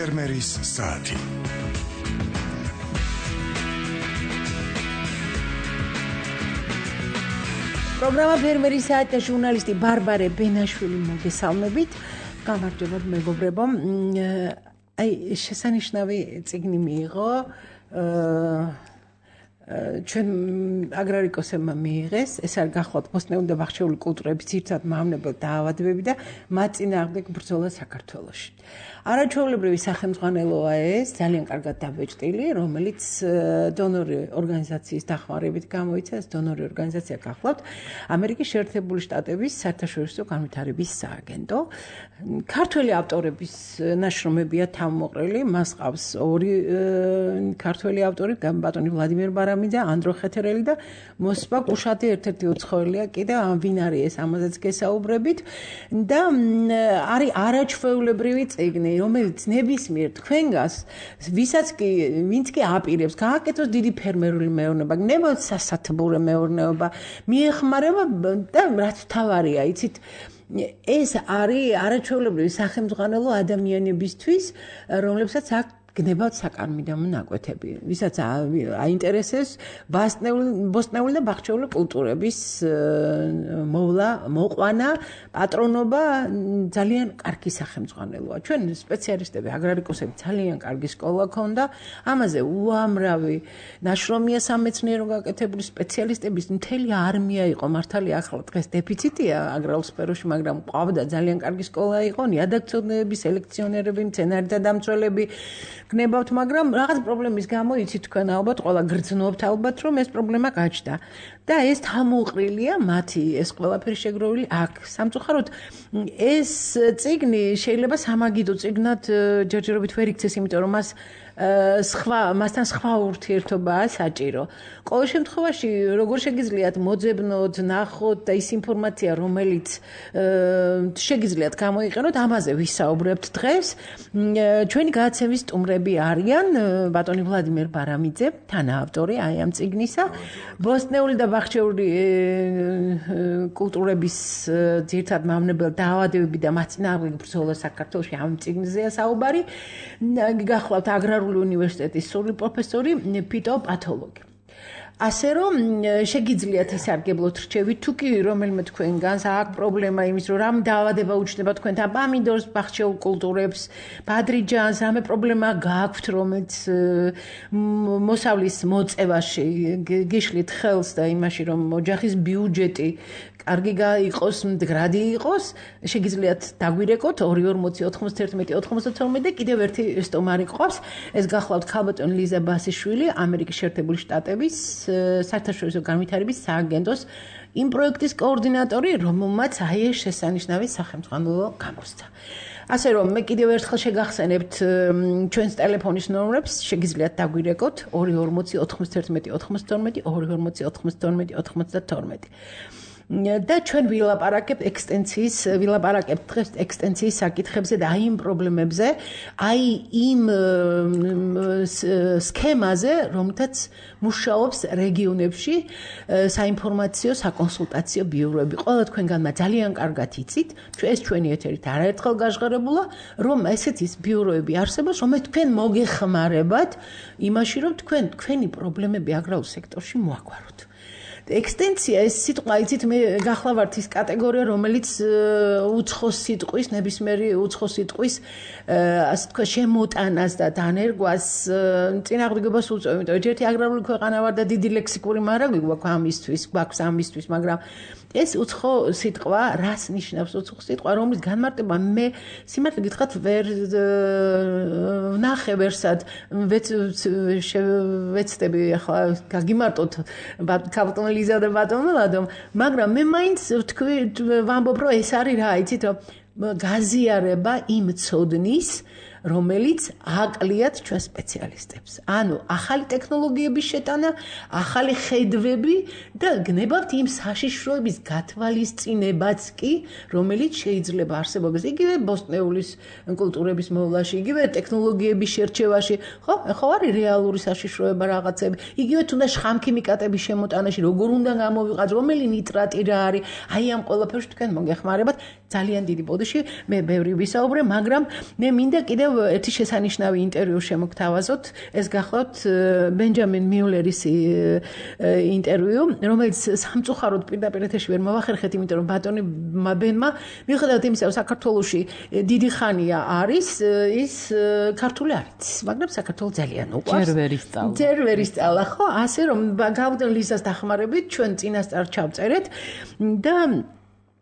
ფერმერის საათი. პროგრამა ფერმერის საათი და ჟურნალისტი ბარბარე ბენაშვილი მოგესალმებით. გამარჯობათ მეგობრებო. შესანიშნავი წიგნი მიიღო ჩვენ აგრარიკოსებმა მიიღეს. ეს არის გახლავთ ბოსტნეული და ბახჩეული კულტურების ძირითად მავნებელ დაავადებები და მათ წინააღმდეგ ბრძოლა საქართველოში. არაჩვეულებრივი სახელმძღვანელოა ეს, ძალიან კარგად დაბეჭდილი, რომელიც დონორი ორგანიზაციის დახმარებით გამოიცა. ეს დონორი ორგანიზაცია გახლავთ ამერიკის შეერთებული შტატების საერთაშორისო განვითარების სააგენტო. ქართველი ავტორების ნაშრომებია თავმოყრილი, მას ყავს ორი ქართველი ავტორი, ბატონი ვლადიმერ ბარამიძე, ანდრო ხეთერელი და მოსპა კუშატი, ერთ-ერთი უცხოელია კიდევ, ვინ არის ეს, ამაზეც გესაუბრებით და არის არაჩვეულებრივი წიგნი, რომელიც ნებისმიერ თქვენგანს, ვინც კი აპირებს გააკეთოს დიდი ფერმერული მეურნეობა, გნებავთ სასათბურე მეურნეობა, მიეხმარება და რაც თავარია, იცით, ეს არის არაჩვეულებრივი სახელმძღვანელო ადამიანებისთვის, რომლებსაც აქვს გნებავთ საკარმიდამო ნაკვეთები, ვისაც აინტერესებს ბოსტნეული და ბახჩეული კულტურების მოყვანა, პატრონობა, ძალიან კარგი სახელმძღვანელოა. ჩვენ სპეციალისტები, აგრარიკოსები ძალიან კარგი სკოლა ქონდა, ამაზე უამრავი ნაშრომია სამეცნიერო გაკეთებული, სპეციალისტების მთელი არმია იყო, მართალია ახლა დღეს დეფიციტია აგრარულ სფეროში, მაგრამ ყავდა ძალიან კარგი სკოლა იყო, ნიადაგწოდნეები, სელექციონერები, მცენარეთა დამცველები გნებავთ, მაგრამ რაღაც პრობლემის გამო იცით თქვენ ალბათ ყველა გრძნობთ ალბათ რომ ეს პრობლემა გაჩნდა და ეს თავმოყრილია მათი ეს ყველაფერი შეგროვილი აქ. სამწუხაროდ ეს წიგნი შეიძლება სამაგიდო წიგნად ჯერჯერობით ვერ იქცეს, იმიტომ რომ მასთან სხვა ურთიერთობაა საჭირო. ყოველ შემთხვევაში როგორ შეგიძლიათ მოძებნოთ, ნახოთ და ის ინფორმაცია, რომელიც შეგიძლიათ გამოიყენოთ, ამაზე ვისაუბრებთ დღეს. ჩვენი გადაცემის სტუმრები არიან ბატონი ვლადიმერ ბარამიძე, თანაავტორი აი ამ წიგნისა, ბოსტნეული და ბახჩეული კულტურების ძირითად მავნებელ დაავადებები და მათ წინააღმდეგ ბრძოლა საქართველოში, ამ წიგნზეა საუბარი. გახლავთ აგრარული უნივერსიტეტის სრული პროფესორი, ფიტოპათოლოგი. ასე რომ შეგიძლიათ ისარგებლოთ რჩევით, თუ კი რომელიმე თქვენგანს აქვს პრობლემა იმის, რომ რამ დაავადება უჩნდება თქვენთან პამიდორს, ბახჩეულ კულტურებს, ბადრიჯანს, რამე პრობლემა გააქვთ, რომელიც მოსავლის მოწევაში გიშლით ხელს და იმაში, რომ ოჯახის ბიუჯეტი კარგი იყოს, მდგრადი იყოს, შეგიძლიათ დაგვირეკოთ 240 91 92 და კიდევ ერთი სტუმარი ყავს. ეს გახლავთ ქალბატონი ლიზა ბასიშვილი, ამერიკის შეერთებული შტატების საერთაშორისო განვითარების სააგენტოს იმ პროექტის კოორდინატორი, რომელმაც აი ეს შესანიშნავი სახელმძღვანელო გამოსცა. ასე რომ მე კიდევ ერთხელ შეგახსენებთ ჩვენს ტელეფონის ნომრებს, შეგიძლიათ დაგვირეკოთ 240 91 92 240 92 92. და ჩვენ ვილაპარაკებთ დღეს ექსტენციის საკითხებზე და აი იმ პრობლემებზე, აი იმ სქემაზე, რომელთაც მუშაობს რეგიონებში საინფორმაციო, საკონსულტაციო ბიუროები. ყველა თქვენგანმა ძალიან კარგად იცით, ეს ჩვენი ეთერით არაერთხელ გაჟღერებულა, რომ ესეთი ბიუროები არსებობს, რომელიც თქვენ მოგეხმარებათ იმაში, რომ თქვენი პრობლემები აგრარულ სექტორში მოაგვაროთ. ექსტენცია ეს სიტყვა, იცით, მე გახლავართ ის კატეგორია, რომელიც უცხოს სიტყვის, ნებისმიერი უცხოს სიტყვის, ასე თქვა, შემოტანას და დანერგვას წინააღმდეგობას უწევს. იმიტომ ერთი აგრარული ქვეყანა ვარ და დიდი ლექსიკური მარაგი გვაქვს ამისთვის, მაგრამ ეს უცხო სიტყვა, რას ნიშნავს უცხო სიტყვა, რომლის განმარტება მე სიმართლე გითხრათ ვერ ვნახე ვერსად, ვეცდები ახლა გაგიმარტოთ ქალბატონ ლიზა და ბატონ ვლადომ, მაგრამ მე მაინც ვამბობ, რომ ეს არის რა, იცით, რომ გაზიარება იმ ცოდნის, რომელიც აყლიათ ჩვენ სპეციალისტებს. ანუ ახალი ტექნოლოგიების შეტანა, ახალი ხედვები და გნებავთ იმ საშიშროების გათვალისწინებაც კი, რომელიც შეიძლება არსებობდეს იგივე ბოსტნეულის კულტურების მოვლაში, იგივე ტექნოლოგიების შერჩევაში, ხო არის რეალური საშიშროება რაღაცები, იგივე თუნდაც შხამქიმიკატების შემოტანაში, როგორ უნდა გამოვიყენოს, რომელი ნიტრატი რა არის, აი ამ ყველაფერში თქვენ მოგეხმარებათ ძალიან დიდი ბოდიში, მე ბევრი ვისაუბრე, მაგრამ მე მინდა კიდევ კიდევ ერთი შესანიშნავი ინტერვიუ შემოგთავაზოთ. ეს გახლავთ ბენჯამინ მიულერის ინტერვიუ, რომელიც სამწუხაროდ პირდაპირ ეთერში ვერ მოვახერხეთ, იმიტომ რომ ბატონი ბენმა მიუხედავად იმისა, რომ საქართველოში დიდი ხანია არის, ის ქართული არ იცის, მაგრამ საქართველოს ძალიან უყვარს. ჯერ ვერ ისწავლა, ხო? ასე რომ გავდენ ლიზას დახმარებით ჩვენ წინასწარ ჩავწერეთ და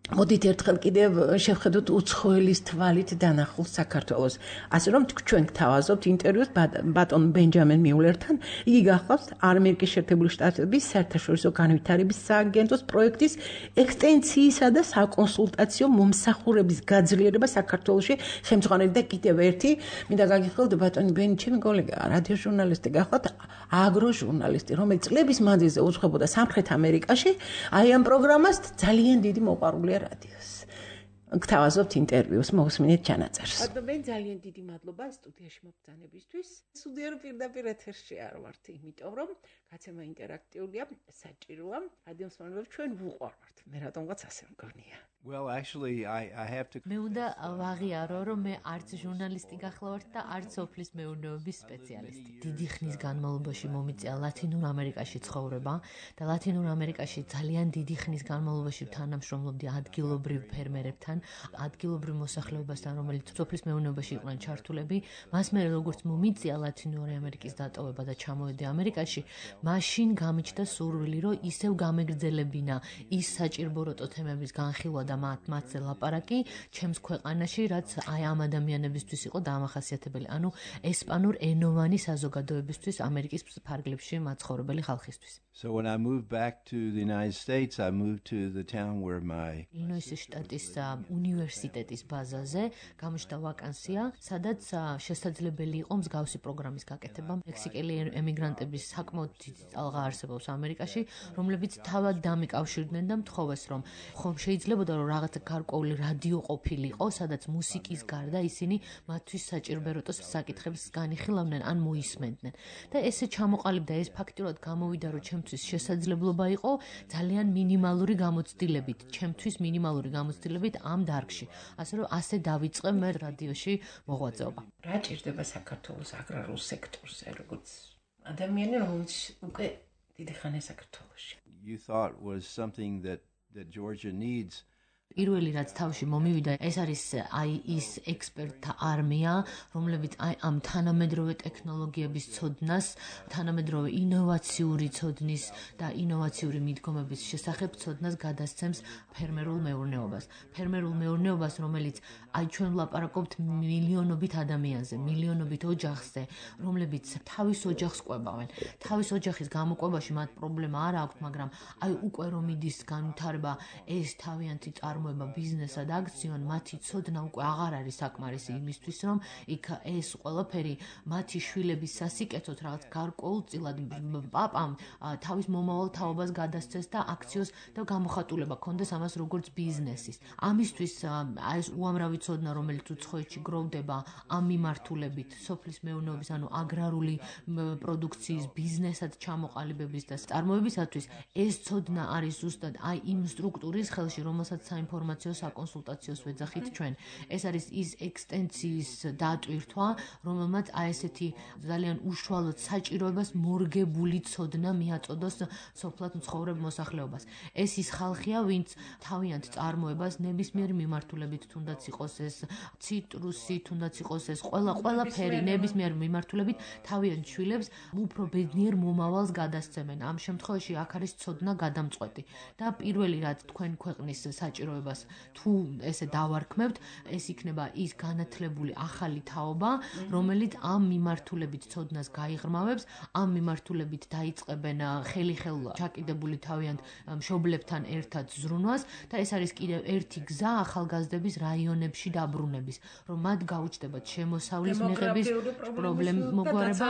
მოდით ერთხელ კიდევ შევხედოთ უცხოელის თვალით დანახულს საქართველოს. ასე რომ ჩვენ გთავაზობთ ინტერვიუს ბატონ ბენჯამინ მიულერთან. იგი გახლავს ამერიკის შეერთებული შტატების საერთაშორისო განვითარების სააგენტოს პროექტის ექსტენციისა და საკონსულტაციო მომსახურების გაძლიერება საქართველოში ხელმძღვანელი და კიდევ ერთი მინდა გაგიხსნათ ბატონი ბენი ჩემი კოლეგაა, რადიო ჟურნალისტი გახლავთ, აგრო ჟურნალისტი, რომელიც წლების მანძილზე უძღვებოდა სამხრეთ ამერიკაში, აი ამ პროგრამას ძალიან დიდი მოყვარულია რადიოს. გთავაზობთ ინტერვიუს, მოусმინეთ ჩანაწერს. ბატონი, ძალიან დიდი მადლობა სტუდიაში მობრძანებისთვის. სუდია რომ პირდაპირ ეთერში არ ვართ, იმიტომ რომ გაცემა ინტერაქტიულია, საჭიროა. რადიო მსმენელებს ჩვენ ვუყვართ. მე რატომღაც ასე მგონია. Well, actually, I have to. მე უნდა ვაღიარო, რომ მე არც ჟურნალისტი გახლავართ და არც სოფლის მეურნეობის სპეციალისტი. დიდი ხნის განმავლობაში მომიწია ლათინურ ამერიკაში ცხოვრება და ლათინურ ამერიკაში ძალიან დიდი ხნის განმავლობაში თანამშრომლობდი ადგილობრივ ფერმერებთან, ადგილობრივ მოსახლეობასთან, რომელიც სოფლის მეურნეობაში იყვნენ ჩართულები. მას მე როგორც მომიწია ლათინური ამერიკის დატოვება და ჩამოვედი ამერიკაში, მაშინ გამიჩნდა სურვილი, რომ ისევ გამეგრძელებინა ის საჭიროებო თემების განხილვა და მათზე ლაპარაკი ჩემს ქვეყანაში, რაც აი ამ ადამიანებისთვის იყო დამახასიათებელი, ანუ ესპანურ ენოვანი საზოგადოებისთვის ამერიკის ფარგლებში მაცხოვრებელი ხალხისთვის. So when I moved back to the United States, I moved to the town where my Illinois შტატის უნივერსიტეტის ბაზაზე გამოჩნდა ვაკანსია, სადაც შესაძლებელი იყო მსგავსი პროგრამის გაკეთება. მექსიკელი ემიგრანტების საკმაოდ დიდი წალღა არსებობს ამერიკაში, რომლებიც თავად დამიკავშირდნენ და მთხოვეს, რომ ხომ შეიძლებოდა რომ რაღაცა გარკვეული რადიო ყოფილიყო, სადაც მუსიკის გარდა ისინი მათთვის საჭიროებო საკითხებს განიხილავდნენ ან მოისმენდნენ. და ესე ჩამოყალიბდა ეს ფაქტიურად გამოვიდა, რომ ჩემთვის შესაძლებლობა იყო ძალიან მინიმალური გამოცდილებით, ჩემთვის მინიმალური გამოცდილებით ამ დარგში. ასე რომ ასე დავიწყე მე რადიოში მოღვაწეობა. რა ჭირდება საქართველოს აგრარულ სექტორზე, როგორც ადამიანი, რომელიც უკვე დიდი ხანია საქართველოში. you thought was something that Georgia needs. პირველი რაც თავში მომივიდა, ეს არის აი ის ექსპერტთა არმია, რომლებიც აი ამ თანამედროვე ტექნოლოგიების ცოდნას, თანამედროვე ინოვაციური ცოდნის და ინოვაციური მიდგომების შესახებ ცოდნას გადასცემს ფერმერულ მეურნეობას. ფერმერულ მეურნეობას, რომელიც აი ჩვენ ვლაპარაკობთ მილიონობით ადამიანზე, მილიონობით ოჯახზე, რომლებიც თავის ოჯახს ყვებავენ. თავის ოჯახის გამოყვებაში მათ პრობლემა არ აქვთ, მაგრამ აი უკვე რომ მიდის განვითარება ეს თავიანთი ბიზნესად აქციონ, მათი ცოდნა უკვე აღარ არის საკმარისი იმისთვის, რომ იქ ეს ყველაფერი მათი შვილების სასიკეთოდ რაღაც გარკვეულწილად პაპამ თავის მომავალ თაობას გადასცეს და აქციოს და გამოხატულება ქონდეს ამას როგორც ბიზნესის. ამისთვის ეს უამრავი ცოდნა, რომელიც უცხოეთში გროვდება ამ მიმართულებით, სოფლის მეურნეობის, ანუ აგრარული პროდუქციის ბიზნესად ჩამოყალიბების და წარმოებისათვის, ეს ცოდნა არის ზუსტად აი იმ სტრუქტურის ხელში, რომელსაც საინფორმაციო საკონსულტაციოს ვეძახით ჩვენ. ეს არის ის ექსტენციის დატვირთვა, რომელმაც აი ესეთი ძალიან უშუალოდ საჭიროებას მორგებული ცოდნა მიაწოდოს სოფლად მცხოვრებ მოსახლეობას. ეს ის ხალხია, ვინც თავიანთ წარმოებას ნებისმიერი მიმართულებით, თუნდაც იყოს ეს ციტრუსი, თუნდაც იყოს ეს ყველაფერი ნებისმიერ მიმართულებით თავიანთ შვილებს უფრო ბედნიერ მომავალს გადასცემენ. ამ შემთხვევაში აქ არის ცოდნა გადამწყვეტი და პირველი რაც თქვენ ქვეყნის საჭიროებას თუ ესე დავარქმევთ, ეს იქნება ის განათლებული ახალი თაობა, რომელიც ამ მიმართულებით ცოდნას გაიღრმავებს, ამ მიმართულებით დაიწყებენ ხელი-ხელ ჩაკიდებული თავიანთ მშობლებთან ერთად ზრუნვას და ეს არის კიდევ ერთი გზა ახალგაზრდების რაიონებში დაბრუნების, რომ მათ გაუჩნდებათ შემოსავლის მიღების პრობლემოგარება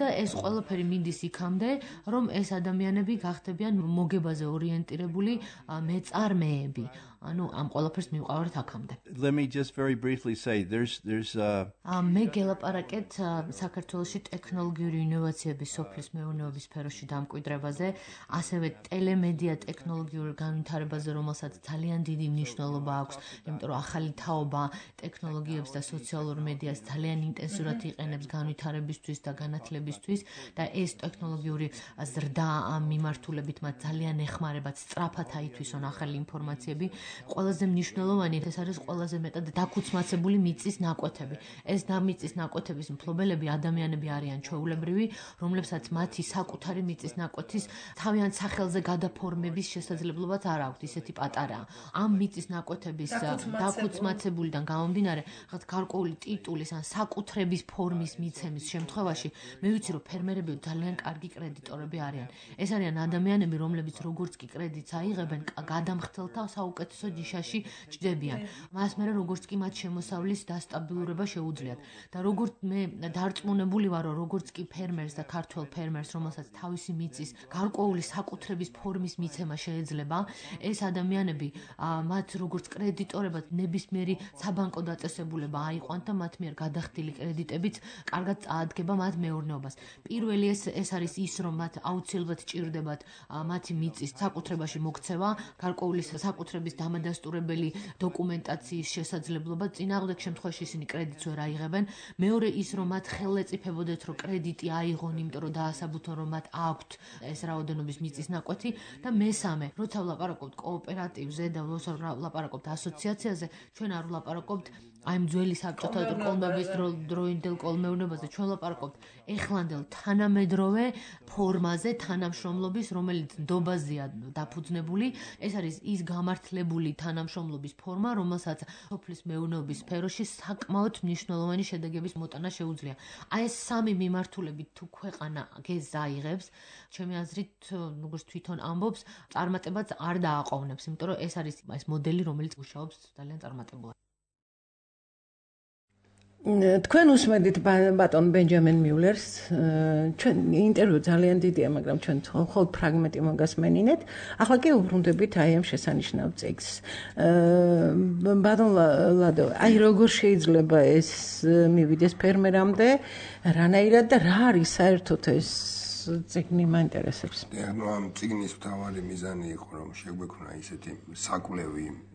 და ეს ყველაფერი მინდის იქამდე, რომ ეს ადამიანები გახდებიან მოგებაზე ორიენტირებული მეწარმეები. სქემები. ანუ ამ ყველაფერს მივყავართ აქამდე. Let me just very briefly say there's მე გელაპარაკეთ საქართველოში ტექნოლოგიური ინოვაციების სოფლის მეურნეობის სფეროში დამკვიდრებაზე, ასევე ტელემედია ტექნოლოგიურ განვითარებაზე, რომელსაც ძალიან დიდი მნიშვნელობა აქვს, იმიტომ რომ ახალი თაობა ტექნოლოგიებს და სოციალურ მედიას ძალიან ინტენსიურად იყენებს განვითარებისთვის და განათლებისთვის და ეს ტექნოლოგიური ზრდა ამ მიმართულებით მათ ძალიან ეხმარებათ სწრაფად აითვისონ ახალი ინფორმაციები. ყველაზე მნიშვნელოვანი ეს არის ყველაზე მეტად დაქუცმაცებული მიწის ნაკვეთები. ეს მიწის ნაკვეთების მფლობელები ადამიანები არიან ჩვეულებრივი, რომლებსაც მათი საკუთარი მიწის ნაკვეთის თავიანთ სახელზე გადაფორმების შესაძლებლობაც არ აქვთ, ისეთი პატარაა. ამ მიწის ნაკვეთების დაქუცმაცებულიდან გამომდინარე, რაღაც გარკვეული ტიტულის ან საკუთრების ფორმის მიცემის შემთხვევაში, მე ვიცი, რომ ფერმერები ძალიან კარგი კრედიტორები არიან. ეს არიან ადამიანები, რომლებიც როგორც კი კრედიტს აიღებენ, გადამხდელთა საუკეთესო ჯიშაში ჭდებიან. მას მერე როგორც კი მათ შემოსავლის დასტაბილურება შეუძლიათ. და როგორც მე დარწმუნებული ვარო, როგორც კი ფერმერს და ქართველ ფერმერს, რომელსაც თავისი მიწის გარკვეული საკუთრების ფორმის მიცემა შეეძლება, ეს ადამიანები მათ როგორც კრედიტორებად ნებისმიერი საბანკო დაწესებულება აიყვანთ და მათ მიერ გადახდილი კრედიტებიც კარგად წაადგება მათ მეურნეობას. პირველი ეს არის ის, რომ მათ აუცილებლად ჭირდებათ მათი მიწის საკუთრებაში მოქცევა, გარკვეული საკუთრების დამადასტურებელი დოკუმენტაციის შესაძლებლობა, წინააღმდეგ შემთხვევაში ისინი კრედიტს ვერ აიღებენ. მეორე ის, რომ მათ ხელეწიფებოდეთ, რომ კრედიტი აიღონ, იმიტომ რომ დაასაბუთონ, რომ მათ აქვთ ეს რაოდენობის მიწის ნაკვეთი და მესამე, როცა ვლაპარაკობთ კოოპერატივზე და ვლაპარაკობთ ასოციაციაზე, ჩვენ არ ვლაპარაკობთ აი ამ ძველი საბჭოთა კოლმეურნეობის დროინდელ კოლმეურნეობაზე, ჩვენ ვლაპარაკობთ ეხლანდელ თანამედროვე ფორმაზე თანამშრომლობის, რომელიც ნდობაზეა დაფუძნებული. ეს არის ის გამართლებული თანამშრომლობის ფორმა, რომელსაც სოფლის მეურნეობის სფეროში საკმაოდ მნიშვნელოვანი შედეგების მოტანა შეუძლია. აი ეს სამი მიმართულებით თუ ქვეყანა გეზს აიღებს, ჩემი აზრით, როგორც თვითონ ამბობს, წარმატებაც არ დააყოვნებს, იმიტომ რომ ეს არის ეს მოდელი, რომელიც მუშაობს ძალიან წარმატებულად. თქვენ უსმედით ბატონ ბენჯამინ მიულერს, ჩვენ ინტერვიუ ძალიან დიდია, მაგრამ ჩვენ მხოლოდ ფრაგმენტი მოგასმენინეთ. ახლა კი უბრუნდებით აი ამ შესანიშნავ წიგნს. ბატონ ლადო, აი როგორ შეიძლება ეს მივიდეს ფერმერამდე, რანაირად და რა არის საერთოდ ეს წიგნი მაინტერესებს. ნუ ამ წიგნის მთავარი მიზანი იყო, რომ შეგვექმნა ისეთი საკვლევი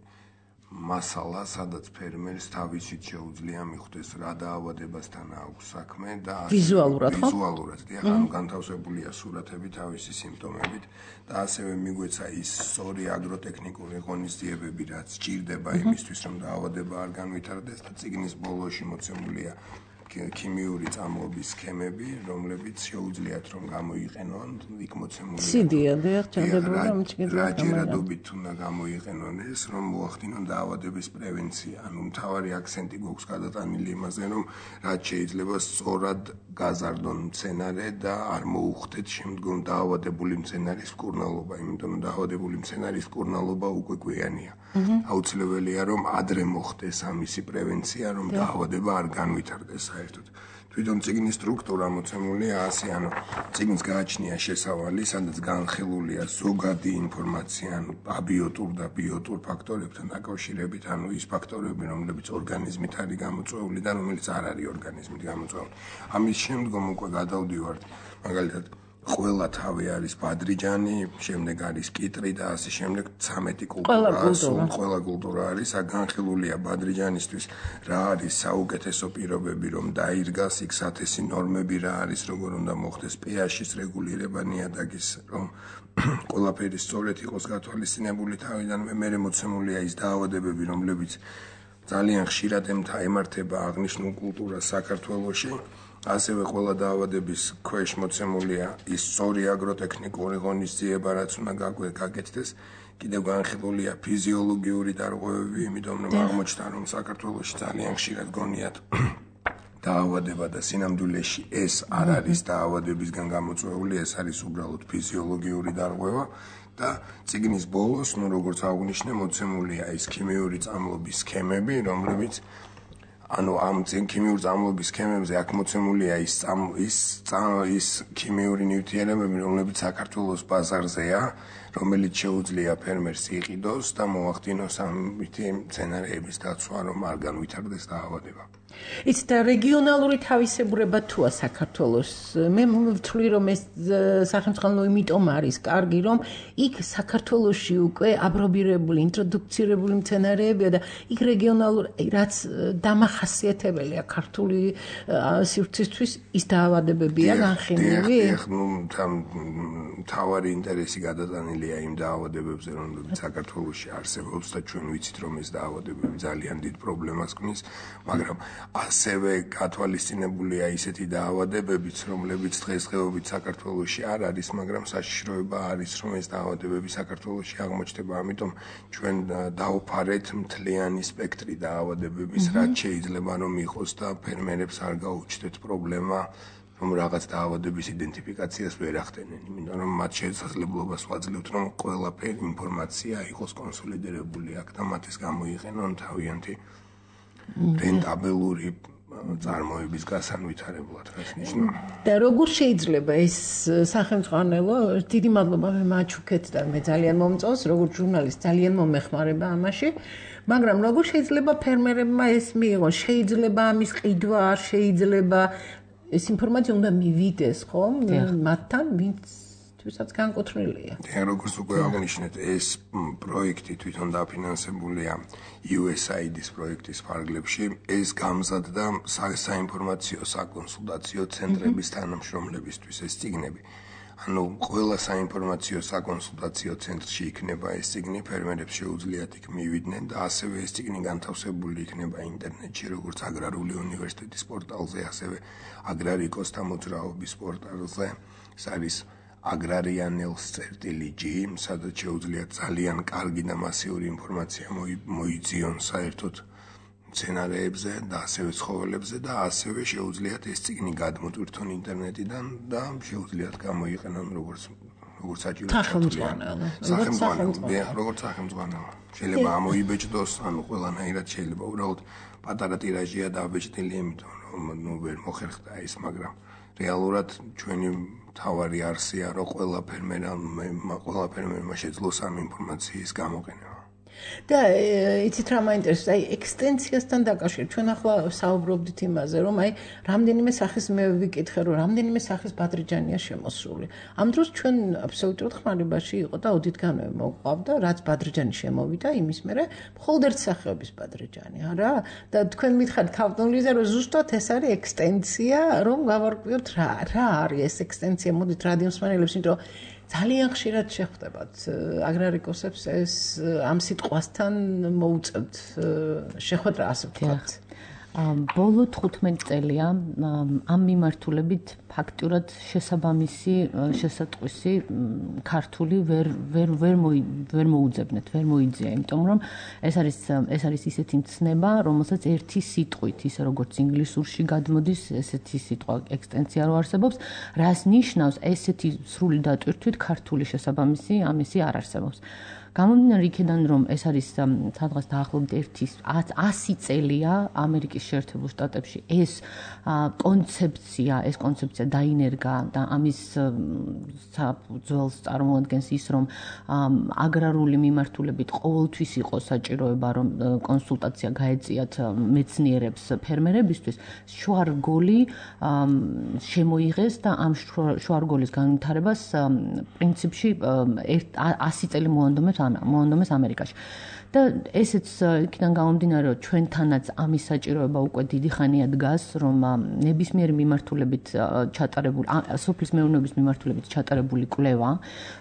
მასალა, სადაც ფერმერს თავისით შეუძლია მიხვდეს რა დაავადებასთან აქვს საქმე და ვიზუალურად, ხო? ვიზუალურად, ანუ განთავსებულია სურათები თავისი სიმპტომებით და ასევე მიგვეცა ის სწორი აგროტექნიკური ღონისძიებები, რაც სჭირდება იმისთვის, რომ დაავადება არ განვითარდეს და წიგნის ბოლოში მოცემულია ქიმიური წამლობის სქემები, რომლებიც შეუძლიათ რომ გამოიყენონ, იქ მოცემული. CD-ია, ჩანდება რომ რა ჯერადობით უნდა გამოიყენონ ეს, რომ მოახდინონ დაავადების პრევენცია. ანუ მთავარი აქცენტი გვაქვს გადატანილი იმაზე, რომ რაც შეიძლება სწორად გაზარდონ მცენარე და არ მოუხდეთ შემდგომ დაავადებული მცენარის მკურნალობა, იმიტომ რომ დაავადებული მცენარის მკურნალობა უკვე გვიანია. აუცილებელია რომ ადრე მოხდეს ამისი პრევენცია, რომ დაავადება არ განვითარდეს. თვითონ წიგნის სტრუქტურა მოცემულია ასე, ანუ წიგნს გააჩნია შესავალი, სადაც განხილულია ზოგადი ინფორმაცია, ანუ აბიოტურ და ბიოტურ ფაქტორებთან დაკავშირებით, ანუ ის ფაქტორები, რომლებიც ორგანიზმით არის გამოწვეული და რომელიც არ არის ორგანიზმით გამოწვეული. ამის შემდგომ უკვე გადავდივართ, მაგალითად, ყველა თავი არის ბადრიჯანი, შემდეგ არის კიტრი და ასე შემდეგ 13 კულტურა, ყველა კულტურა არის, განხილულია ბადრიჯანისთვის რა არის საუკეთესო პირობები, რომ დაირგას, იქ სათესი ნორმები რა არის, როგორ უნდა მოხდეს pH-ის რეგულირება ნიადაგის, რომ ყველაფერი სწორედ იყოს გათვალისწინებული თავიდანვე, მერე მოცემულია ის დაავადებები, რომლებიც ძალიან ხშირად ემართება აღნიშნულ კულტურას საქართველოში. ასევე ყველა დაავადების ქვეშ მოცემულია ის სწორი აგროტექნიკური ღონისძიება, რაც უნდა გაკეთდეს. კიდევ განხილულია ფიზიოლოგიური დარღვევები, იმიტომ რომ აღმოჩნდა, რომ საქართველოში ძალიან ხშირად გონიათ დაავადება და სინამდვილეში ეს არ არის დაავადებისგან გამოწვეული, ეს არის უბრალოდ ფიზიოლოგიური დარღვევა. და წიგნის ბოლოს, როგორც აღვნიშნე, მოცემულია ის ქიმიური წამლობის სქემები, რომლებიც ანუ ამ ქიმიურ წამლების სქემებზე აქ მოცემულია ის ქიმიური ნივთიერებები, რომლებიც საქართველოს ბაზარზეა, რომელიც შეუძლია ფერმერს იყიდოს და მოახდინოს ამითი მცენარეების დაცვა, რომ არ განვითარდეს დაავადება. It's the რეგიონალური თავისებურება თუა საქართველოს. მე ვთვლი რომ ეს სახელმწიფო იმიტომ არის კარგი, რომ იქ საქართველოში უკვე აბრობირებული, ინტროდუქცირებული მცენარეებია და იქ რეგიონალურ რაც დამახასიათებელია ქართული სივრცისთვის ის დაავადებებია განხილული. თავარი ინტერესი გადატანილია იმ დაავადებებზე, რომლებიც საქართველოში არსებობს და ჩვენ ვიცით, რომ ეს დაავადებები ძალიან დიდ პრობლემას ქმნის, მაგრამ ასევე გათვალისწინებულია ისეთი დაავადებებიც, რომლებიც დღესდღეობით საქართველოში არ არის, მაგრამ საშიშროება არის, რომ ეს დაავადებები საქართველოში აღმოჩნდება. ამიტომ ჩვენ დავფარეთ მთლიანი სპექტრი დაავადებების, რაც შეიძლება რომ იყოს და ფერმერებს არ გაუჩნდეთ პრობლემა, რომ რაღაც დაავადების იდენტიფიკაციას ვერ ახდენენ, იმიტომ რომ მათ შესაძლებლობას ვაძლევთ, რომ ყველაფერი ინფორმაცია იყოს კონსოლიდირებული აქ და მათ ეს გამოიყენონ თავიანთი რენტაბელური წარმოების გასანვითარებლად, რაც ნიშნავს. და როგორ შეიძლება ეს სახელმწიფო დიდი მადლობა მე მაჩუქეთ და მე ძალიან მომწონს, როგორც ჟურნალისტ ძალიან მომეხმარება ამაში, მაგრამ როგორ შეიძლება ფერმერებმა ეს მიიღონ? შეიძლება ამის ყიდვა არ შეიძლება ეს ინფორმაცია უნდა მივიდეს, ხო? მათთან ვინცაც განკუთვნილია. როგორც უკვე აღნიშნეთ, ეს პროექტი თვითონ დაფინანსებულია USAID-ის პროექტის ფარგლებში. ეს გამზადდა საინფორმაციო საკონსულტაციო ცენტრების თანამშრომლებისთვის ეს წიგნები. ანუ ყველა საინფორმაციო საკონსულტაციო ცენტრში იქნება ეს წიგნი, ფერმერებს შეუძლიათ იქ მივიდნენ და ასევე ეს წიგნი განთავსებული იქნება ინტერნეტში, როგორც აგრარული უნივერსიტეტის პორტალზე, ასევე აგრარიკოსთა მოძრაობის პორტალზე. ეს არის agrarianels.g, სადაც შეუძლიათ ძალიან კარგი და მასიური ინფორმაცია მოიძიონ საერთოდ მცენარეებზე და ასევე ცხოველებზე და ასევე შეუძლიათ ეს წიგნი გადმოტვირთონ ინტერნეტიდან და შეუძლიათ გამოიყენონ როგორც საჭირო როგორც სახელმწიფო. შეიძლება ამოიბეჭდოს, ანუ ყველანაირად შეიძლება უბრალოდ პატარა ტირაჟია დაბეჭდილი, იმიტომ რომ ვერ მოხერხდა ის, მაგრამ რეალურად ჩვენი თავარი არსია, რომ ყველა ფერმერმა შეძლოს ამ ინფორმაციის გამოყენება. და იცით რა მაინტერესებს, აი ექსტენციასთან დაკავშირებით ჩვენ ახლა საუბრობდით იმაზე, რომ აი რამდენიმე სახის მე ვიკითხე, რომ რამდენიმე სახის ბადრიჯანია შემოსული. ამ დროს ჩვენ აბსოლუტურად ხმარებაში იყო და ოდითგანვე მოყვავდა, რაც ბადრიჯანი შემოვიდა, იმის მერე მხოლოდ ერთ სახეობის ბადრიჯანი, არა? და თქვენ მითხარით ქავტონლიზე, რომ ზუსტად ეს არის ექსტენცია, რომ გავარკვიოთ რა არის ეს ექსტენცია, მოდით რადიოსმენელებს, იმიტომ რომ ძალიან ხშირად შეხვდებათ აგრარიკოსებს ეს ამ სიტყვასთან მოუწევთ შეხვედრა, ასე ვთქვათ. ბოლო 15 წელია ამ მიმართულებით ფაქტურად შესაბამისი შესატყვისი ქართული ვერ მოუძებნეთ, ვერ მოიძია, იმიტომ რომ ეს არის ისეთი მცნება, რომელსაც ერთი სიტყვით, ისე როგორც ინგლისურში გადმოდის, ესეთი სიტყვა ექსტენცია რო არსებობს, რას ნიშნავს ესეთი სრული დატვირთვით ქართული შესაბამისი ამისი არ არსებობს. გამომდინარე იქიდან, რომ ეს არის სადღაც დაახლოებით 100 წელია ამერიკის შეერთებულ შტატებში ეს კონცეფცია დაინერგა და ამის ძველს წარმოადგენს ის, რომ აგრარული მიმართულებით ყოველთვის იყო საჭიროება, რომ კონსულტაცია გაეწიათ მეცნიერებს ფერმერებისთვის, შუარგოლი შემოიღეს და ამ შუარგოლის განვითარებას პრინციპში 100 წელი მოანდომეს ამერიკაში. და ესეც იქიდან გამომდინარე, რომ ჩვენთანაც ამის საჭიროება უკვე დიდი ხანია დგას, რომ ნებისმიერი მიმართულებით ჩატარებული, სოფლის მეურნეობის მიმართულებით ჩატარებული კვლევა,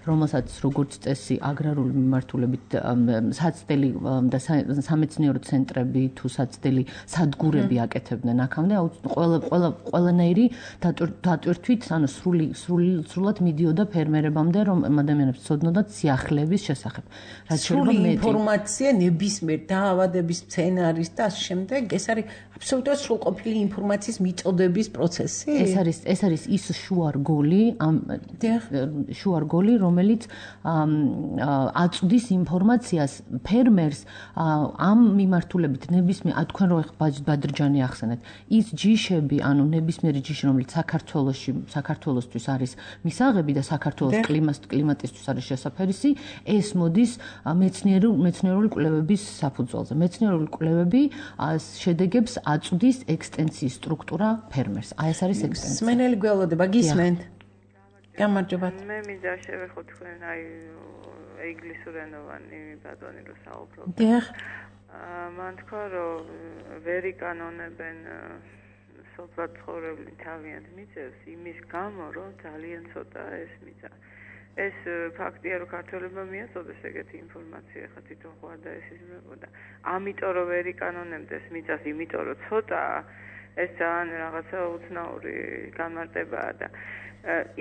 რომელსაც როგორც წესი აგრარული მიმართულებით საცდელი და სამეცნიერო ცენტრები თუ საცდელი სადგურები აკეთებდნენ აქამდე, ყველანაირი დატვირთვით, ანუ სრულად მიდიოდა ფერმერებამდე, რომ ადამიანებს ცოდნოდათ სიახლეების შესახებ. სრული ინფორმაცია ინფორმაცია ნებისმიერ დაავადების სცენარის და ამ შემდეგ ეს არის აბსოლუტურად სრულყოფილი ინფორმაციის მიწოდების პროცესი. ეს არის ის შუარგოლი, რომელიც აწვდის ინფორმაციას ფერმერს ამ მიმართულებით ნებისმიერ თქვენ რო ბადრჯანი ახსენეთ ის ჯიშები, ანუ ნებისმიერი ჯიში, რომელიც საქართველოსთვის არის მისაღები და საქართველოს კლიმატისთვის არის შესაფერისი, ეს მოდის მეცნიერული კვლევების საფუძველზე. მეცნიერული კვლევები შედეგებს აწვდის ექსტენსიის სტრუქტურა ფერმერს. ეს არის ექსტენსია. სმენელი გველოდება, გისმენთ? გამარჯობათ. მე მინდა შევეხო თქვენ ინგლისურენოვანი ბატონი რო საუბრობ. დიახ. მან თქვა რომ ვერ იკანონებენ სოფლად ცხოვრებული თავიანთ მიწებს იმის გამო რომ ძალიან ცოტა ეს მიწა. ეს ფაქტია რომ ქართველებმა მიაწოდეს ეგეთი ინფორმაცია ხა თვითონ ხო არ დაესიზმრებოდა. ამიტომ რომ ვერ იკანონებდეს მიწას, იმიტომ რომ ცოტაა, ეს ძალიან რაღაცა უცნაური განმარტებაა და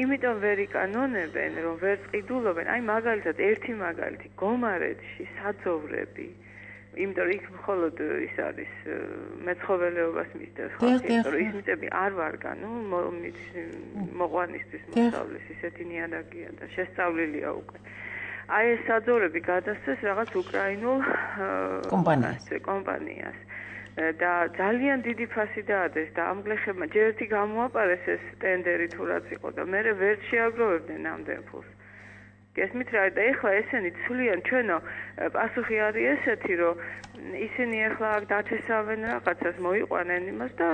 იმიტომ ვერ იკანონებენ, რომ ვერ წყიდულობენ. აი მაგალითად ერთი მაგალითი, გომარეთში საძოვრები იმიტომ რომ იქ მხოლოდ ის არის მეცხოველეობას მისდევს ხალხი, იმიტომ რომ ის მიწები არ ვარგა, მოყვანისთვის მოსავლის ისეთი ნიადაგია და შესწავლილია უკვე. აი ეს საძოვრები გადასცეს რაღაც უკრაინულ კომპანიას. და ძალიან დიდი ფასი დაადეს და ამ გლეხებმა ჯერ ერთი გამოაპარეს ეს ტენდერი თუ რაც იყო და მე ვერ შეაგროვებდნენ ამდენ ფულს. გესმით რა და ეხლა ესენი ცვლიან ჩვენო პასუხი არის ესეთი რომ ისინი ეხლა დათესავენ რაღაცას მოიყვანენ იმას და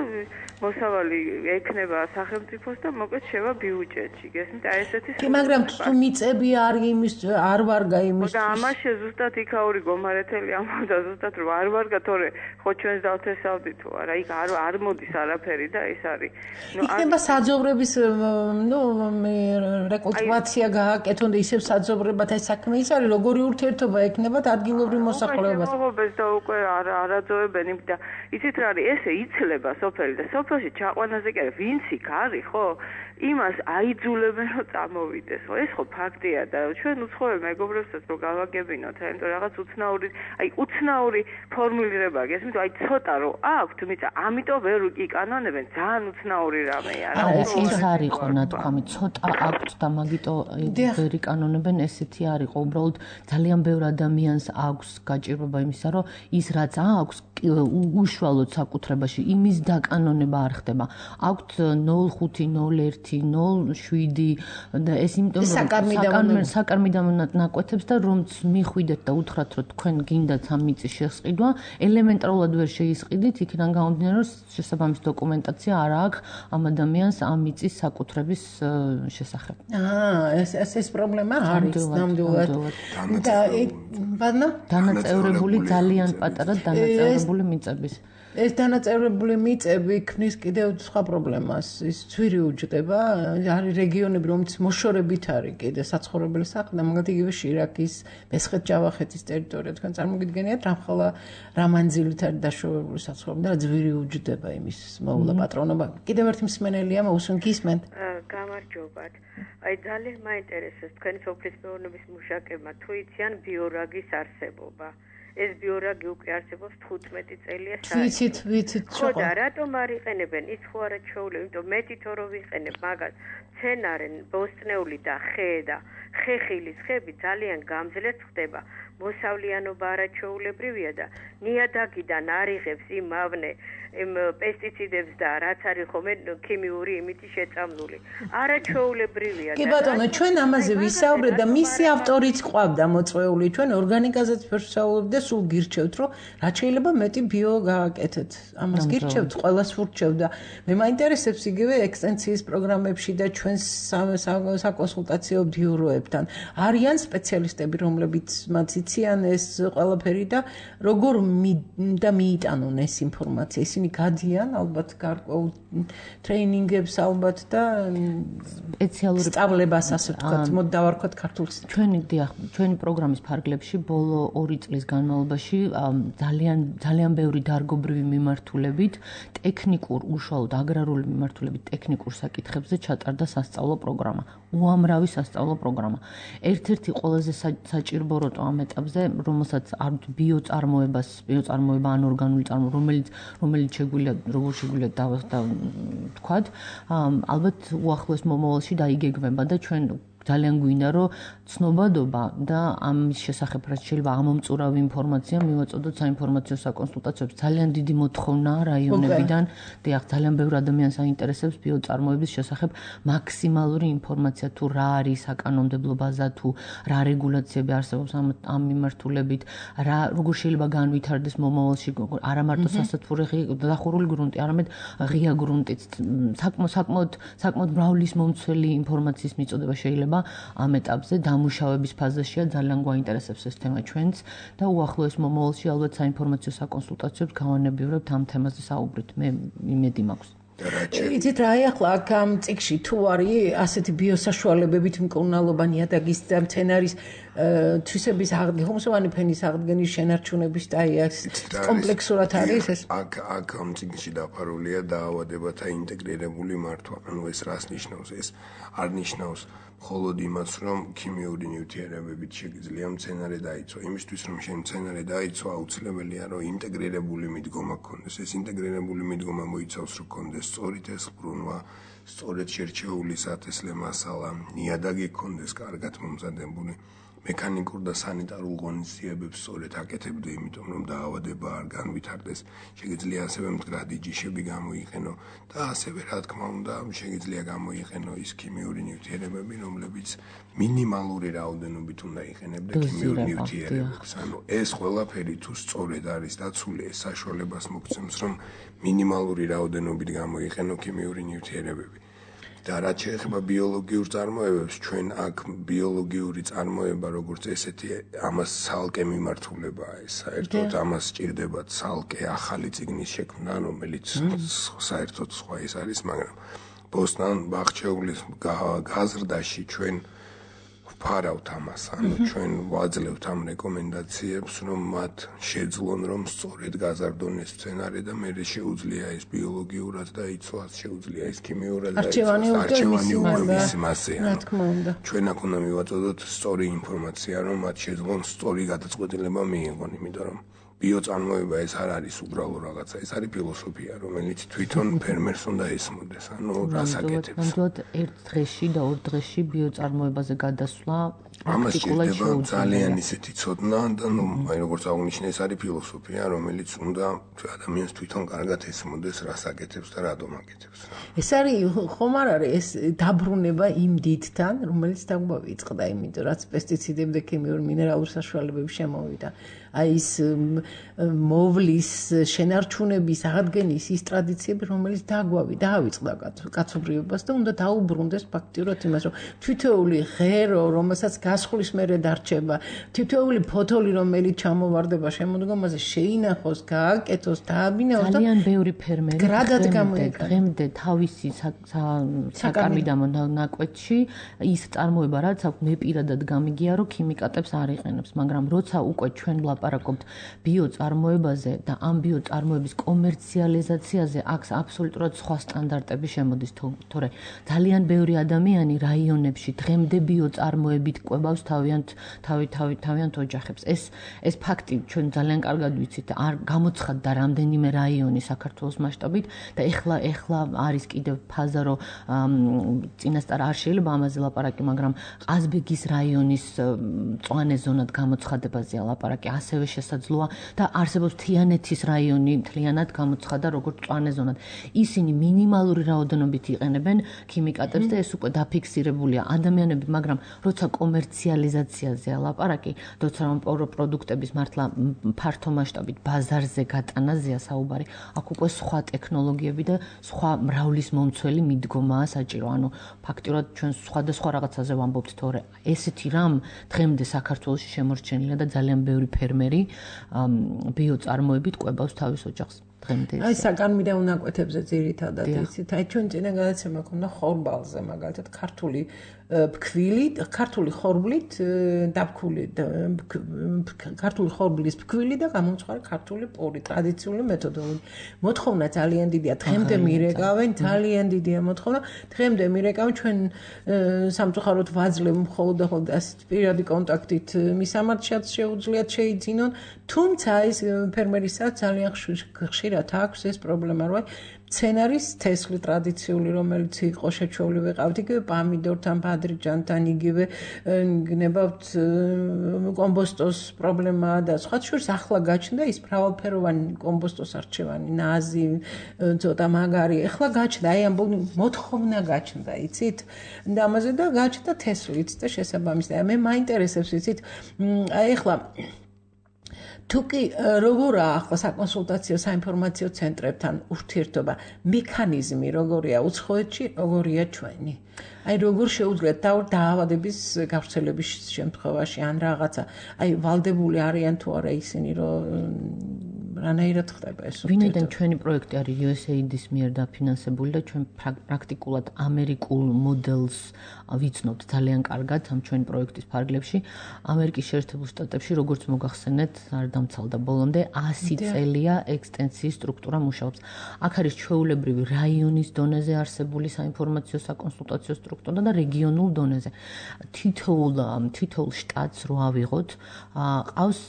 მოსავალი ექნება სახელმწიფოს და მოკლედ შევა ბიუჯეტში გესმით აი ესეთი კი მაგრამ თუ მიწები არ ვარგა იმის და ამაში ზუსტად იქაური გომარეთელი ამბობდა ზუსტად რომ არ ვარგა თორე ხო ჩვენს დავთესავდი თუ არა იქ არ მოდის არაფერი და ეს არის იქნება საძოვრების რეკულტივაცია გააკეთონ და ისევ საძოვრებად ეს საქმე ის არის როგორი ურთიერთობა ექნებათ ადგილობრივ მოსახლეობას და უკვე არაძოებენ იმ და იცით რა არის ესე იცლება სოფელი და სოფელში ჩაყვანაზე კი არა ვინც იქ არის ხო იმას აიძულებენ რომ წამოვიდეს ხო ეს ხო ფაქტია და ჩვენ უცხოელ მეგობრებსაც რო გავაგებინოთ ანუ რაღაც უცნაური ფორმულირება გესმით აი ცოტა რო აქვთ მიწა ამიტომ ვერ იკანონებენ ძალიან უცნაური რამეა რა ეს არისო ნათქვამი ცოტა აქვთ და მაგიტო ვერ იკანონებენ ესეთი არისო უბრალოდ ძალიან ბევრ ადამიანს აქვს გაჭირვება იმისა რომ ის რაც აქვს უშუალოდ საკუთრებაში იმის დაკანონება არ ხდება აქვთ 05 07 და ეს იმიტომ რომ საკარმიდამო ნაკვეთებს და რომც მიხვიდეთ და უთხრათ რომ თქვენ გინდათ ამ მიწის შესყიდვა ელემენტარულად ვერ შეისყიდით იქიდან გამომდინარე რომ შესაბამის დოკუმენტაცია არ აქვს ამ ადამიანს ამ მიწის საკუთრების შესახებ. ეს პრობლემა არის ნამდვილად. და დანაწევრებული ძალიან პატარა დანაწევრებული მიწების. ეს დანაწევრებული მიწები ქმნის კიდევ სხვა პრობლემას. ის ძვირი უჯდება, არის რეგიონები, რომც მოშორებით არის კიდე საცხოვრებელი სახლი და მაგალითად იგივე შირაქის, მესხეთ-ჯავახეთის ტერიტორია თქვენ წარმოგიდგენიათ რამხელა რამანძილით არის დაშვებული საცხოვრებელი და ძვირი უჯდება იმის მოვლა პატრონობა. კიდევ ერთი მსმენელია მოусუნ გისმენთ. გამარჯობათ. აი ძალიან მაინტერესებს თქვენი სოფლის მეურნეობის მუშაკებმა თუ იციან ბიორაგის არსებობა. ეს ბიორაგი უკვე არსებობს 15 წელია საერთოდ. ვიცით, ხო და რატომ არ იყენებენ? ის ხო არა ჩვეულებრივი, იმიტომ მეტი თორო ვიყენებ მაგას. მცენარე, ბოსტნეული და ხე და ხეხილის ხეები ძალიან გამძლეც ხდება. მოსავლიანობა არაჩვეულებრივია და ნიადაგიდან არიღებს იმავნე პესტიციდებს და რაც არის ხოლმე ქიმიური იმითი შეწამლული. არაჩვეულებრივია. კი ბატონო, ჩვენ ამაზე ვისაუბრეთ და მისი ავტორიც ყავდა მოწვეული. ჩვენ ორგანიკაზეც ვისაუბრეთ და სულ გირჩევთ, რომ რაც შეიძლება მეტი ბიო გააკეთეთ. ამას გირჩევთ, ყველას ვურჩევთ და მე მაინტერესებს იგივე ექსტენსიის პროგრამებში და ჩვენ საკონსულტაციო ბიუროებთან. არიან სპეციალისტები, რომლებიც მათ იციან ეს ყველაფერი და როგორ და მიიტანონ ეს ინფორმაცია. ისინი ისინი გადიან ალბათ გარკვეულ ტრეინინგებს ალბათ და სპეციალური სწავლებას ასე ვთქვათ, მოდ დავარქვათ ქართულს. ჩვენი პროგრამის ფარგლებში ბოლო 2 წლის განმავლობაში ძალიან ბევრი დარგობრივი მიმართულებით, ტექნიკურ, უშუალოდ აგრარული მიმართულებით ტექნიკურ საკითხებზე ჩატარდა სასწავლო პროგრამა. უამრავი სასწავლო პროგრამა. ერთ-ერთი ყველაზე საჭიროა ამ ეტაპზე, რომელსაც ბიოწარმოება ან ორგანული წარმოება, რომელიც შეგვიძლია როგორ შეგვიძლია ვთქვათ, ალბათ უახლოეს მომავალში დაიგეგმება და ჩვენ ძალიან გვინდა რომ ცნობადობა და ამის შესახებ რაც შეიძლება ამომწურავი ინფორმაცია მივაწოდოთ საინფორმაციო საკონსულტაციოებს. ძალიან დიდი მოთხოვნაა რაიონებიდან. დიახ, ძალიან ბევრი ადამიანს აინტერესებს ბიოწარმოების შესახებ მაქსიმალური ინფორმაცია თუ რა არის საკანონმდებლო ბაზა თუ რა რეგულაციები არსებობს ამ მიმართულებით, როგორ შეიძლება განვითარდეს მომავალში არა მარტო სასათბურე დახურული გრუნტი, არამედ ღია გრუნტიც. საკმაოდ მრავლის მომცველი ინფორმაციის მიწოდება შეიძლება ამ ეტაპზე დამუშავების ფაზაშია ძალიან გვაინტერესებს ეს თემა ჩვენც და უახლოეს მომავალში ალბათ საინფორმაციო საკონსულტაციოებს გავანებივრებთ ამ თემაზე საუბრით. მე იმედი მაქვს. იცით რა ახლა აქ ამ წიგში თუ არის ასეთი ბიოსაშუალებებით მკურნალობა ნიადაგის და მცენარის თვისების აღდგენა, ხომსოვანი ფენის აღდგენის შენარჩუნების და ეს კომპლექსურად არის ეს? აქ ამ წიგში დაფარულია დაავადებათა ინტეგრირებული მართვა. ანუ ეს რას ნიშნავს? ეს არ ნიშნავს მხოლოდ იმას, რომ ქიმიური ნივთიერებებით შეიძლება მცენარე დაიცვა. იმისთვის, რომ შენ მცენარე დაიცვა, აუცილებელია, რომ ინტეგრირებული მიდგომა გქონდეს. ეს ინტეგრირებული მიდგომა მოიცავს, რომ გქონდეს სწორი თესლბრუნვა, სწორედ შერჩეული სათესლე მასალა, ნიადაგი გქონდეს კარგად მომზადებული. მექანიკურ და სანიტარულ ღონისძიებებს სწორედ აკეთებდა, იმიტომ რომ დაავადება არ განვითარდეს. Შეიძლება ასევე მდგრადი ჯიშები გამოიყენო და ასევე რა თქმა უნდა, შეიძლება გამოიყენო ის ქიმიური ნივთიერებები, რომლებიც მინიმალური რაოდენობით უნდა იყენებდა ქიმიურ ნივთიერებებს. ანუ ეს ყველაფერი თუ სწორედ არის დაცული, ეს საშუალებას მოგცემს, რომ მინიმალური რაოდენობით გამოიყენო ქიმიური ნივთიერებები. და რაც შეეხება ბიოლოგიურ წარმოებებს, ჩვენ აქ ბიოლოგიური წარმოება, როგორც ესეთი, ამას ცალკე მიმართულებაა ეს. საერთოდ ამას სჭირდება ცალკე ახალი წიგნის შექმნა, რომელიც საერთოდ სხვა ის არის, მაგრამ ბოსტან ბაღჩეულის გაზრდაში ჩვენ ვფარავთ ამას, ანუ ჩვენ ვაძლევთ ამ რეკომენდაციებს, რომ მათ შეძლონ, რომ სწორედ გაზარდონ ეს მცენარე და მე შეუძლია ეს ბიოლოგიურად დაიცვას, შეუძლია ეს ქიმიურად დაიცვას, არჩევანი უმეტეს მასე. რა თქმა უნდა. ჩვენ აქ უნდა მივაწოდოთ სწორი ინფორმაცია, რომ მათ შეძლონ სწორი გადაწყვეტილება მიიღონ, იმიტომ რომ ბიოწარმოება ეს არ არის უბრალო რაღაცა, ეს არის ფილოსოფია, რომელიც თვითონ ფერმერს უნდა ესმოდეს, ანუ რას აკეთებს. ნამდვილად ერთ დღეში და ორ დღეში ბიოწარმოებაზე გადასვლა ამას შეიძლება ძალიან ისეთი ცოდნა და აი როგორც აღნიშნე, ეს არის ფილოსოფია, რომელიც უნდა ადამიანს თვითონ კარგად ესმოდეს, რას აკეთებს და რატომ აკეთებს. ეს არის ხომ არ არის ეს დაბრუნება იმ დიდთან, რომელიც დაგვიწყდა, იმიტომ რაც პესტიციდები და ქიმიური მინერალური საშუალებები შემოვიდა. აი ის მოვლის შენარჩუნების აღდგენის ის ტრადიციები, რომელიც დაავიწყდა კაცობრიობას და უნდა დაუბრუნდეს ფაქტიურად იმას, რომ თითოეული ღერო, რომელსაც გასხლის მერე დარჩება, თითოეული ფოთოლი, რომელიც ჩამოვარდება შემოდგომაზე, შეინახოს, გააკეთოს, დააბინეოს და ძალიან ბევრი ფერმერი დღემდე თავისი საკამიდამ ნაკვეთში ის წარმოება, რაც აქვს, მე პირადად გამიგია, რომ ქიმიკატებს არ იყენებს, მაგრამ როცა უკვე ჩვენ ლაპარაკობთ ბიოწარმოებაზე და ამ ბიოწარმოების კომერციალიზაციაზე, აქ აბსოლუტურად სხვა სტანდარტები შემოდის, თორე ძალიან ბევრი ადამიანი რაიონებში დღემდე ბიოწარმოებით ყვებავს თავიანთ ოჯახებს. ეს ფაქტი ჩვენ ძალიან კარგად ვიცით, არ გამოცხადდა რამდენიმე რაიონი საქართველოს მასშტაბით და ეხლა არის კიდევ ფაზა, რომ წინასწარ არ შეიძლება ამაზე ლაპარაკი, მაგრამ ყაზბეგის რაიონის მწვანე ზონად გამოცხადებაზეა ლაპარაკი, ასევე შესაძლოა და არსებობს თიანეთის რაიონი მთლიანად გამოცხადა როგორც მწვანე ზონად. ისინი მინიმალური რაოდენობით იყენებენ ქიმიკატებს და ეს უკვე დაფიქსირებულია ადამიანები, მაგრამ როცა კომერციალიზაციაზეა ლაპარაკი, როცა პროდუქტების მართლა ფართო მასშტაბით ბაზარზე გატანაზეა საუბარი, აქ უკვე სხვა ტექნოლოგიები და სხვა მრავლის მომცველი მიდგომაა საჭირო. ანუ ფაქტიურად ჩვენ სხვადასხვა რაღაცაზე ვამბობთ, თორე ესეთი რამ დღემდე საქართველოში შემორჩენილია და ძალიან ბევრი ფერმერი ბიოწარმოებით ყვებავს თავის ოჯახს. დღემდე. აი საგანმირე უნაკვეთებზე ძირითადად იცით, აი ჩვენ წინა გადაცემა ქონდა ხორბალზე, მაგალითად ქართული ქართული ხორბლით დაფქული ქართული ხორბლის ფქვილი და გამომწვარი ქართული პური, ტრადიციული მეთოდოლოგია. მოთხოვნა ძალიან დიდია, დღემდე მირეკავენ, ძალიან დიდია მოთხოვნა. დღემდე მირეკავენ ჩვენ სამწუხაროდ ვაძლევ მხოლოდ ასეთ პირადი კონტაქტით მისამართშიაც შეუძლიათ შეიძინონ, თუმცა ის ფერმერისაც ძალიან ხშირად აქვს ეს პრობლემა, რომ მცენარის თესლი ტრადიციული, რომელიც იყო შეჩეული ვეყავთ, იგივე პამიდორთან, ბადრიჯანთან, იგივე გნებავთ კომბოსტოს პრობლემა და სხვა შორის ახლა გაჩნდა ის მრავალფეროვანი კომბოსტოს არჩევანი, ნაზი, ცოტა მაგარი. ახლა გაჩნდა, აი ამ მოთხოვნა გაჩნდა, იცით? და ამაზე და გაჩნდა თესლიც და შესაბამისად. მე მაინტერესებს, იცით? აი ახლა თუკი როგორაა ახლა საკონსულტაციო საინფორმაციო ცენტრებთან ურთიერთობა, მექანიზმი როგორია უცხოეთში, როგორია ჩვენი? აი როგორ შეუძლიათ დაავადების გავრცელების შემთხვევაში ან რაღაცა, აი ვალდებული არიან თუ არა ისინი, რომ რანაირად ხდება ეს? ვინაიდან ჩვენი პროექტი არის USAID-ის მიერ დაფინანსებული და ჩვენ პრაქტიკულად ამერიკულ მოდელს ვიცნობთ ძალიან კარგად ამ ჩვენი პროექტის ფარგლებში. ამერიკის შეერთებულ შტატებში, როგორც მოგახსენეთ, არ დამცალდა ბოლომდე 100 წელია ექსტენსიის სტრუქტურა მუშაობს. აქ არის ჩვეულებრივი რაიონის დონეზე არსებული საინფორმაციო საკონსულტაციო სტრუქტურა და რეგიონულ დონეზე. თითოეულ შტატს რო ავიღოთ, ყავს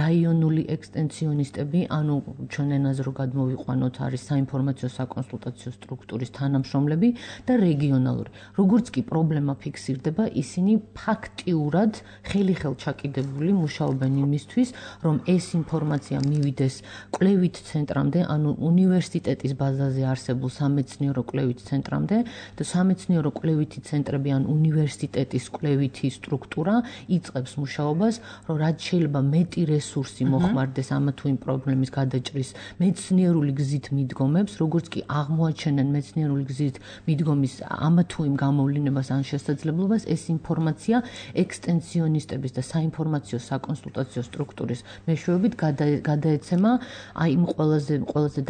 რაიონული ექსტენსიონისტები, ანუ ჩვენ ენაზე რო გადმოვიყვანოთ, არის საინფორმაციო საკონსულტაციო სტრუქტურის თანამშრომლები და რეგიონალური. როგორც კი პრობლემა ფიქსირდება, ისინი ფაქტიურად ხელი-ხელ ჩაკიდებული მუშაობენ იმისთვის, რომ ეს ინფორმაცია მივიდეს კვლევით ცენტრამდე, ანუ უნივერსიტეტის ბაზაზე არსებულ სამეცნიერო კვლევით ცენტრამდე და სამეცნიერო კვლევითი ცენტრები ან უნივერსიტეტის კვლევითი სტრუქტურა იწყებს მუშაობას, რომ რაც შეიძლება მეტი რესურსი მოხმარდეს ამა თუ იმ პრობლემის გადაჭრის მეცნიერული გზით მიდგომებს, როგორც კი აღმოაჩენენ მეცნიერული გზით მიდგომის ამა თუ იმ გამოვლინებას ან შესაძლებლობას, ეს ინფორმაცია ექსტენსიონისტების და საინფორმაციო საკონსულტაციო სტრუქტურის მეშვეობით გადაეცემა აი იმ ყველაზე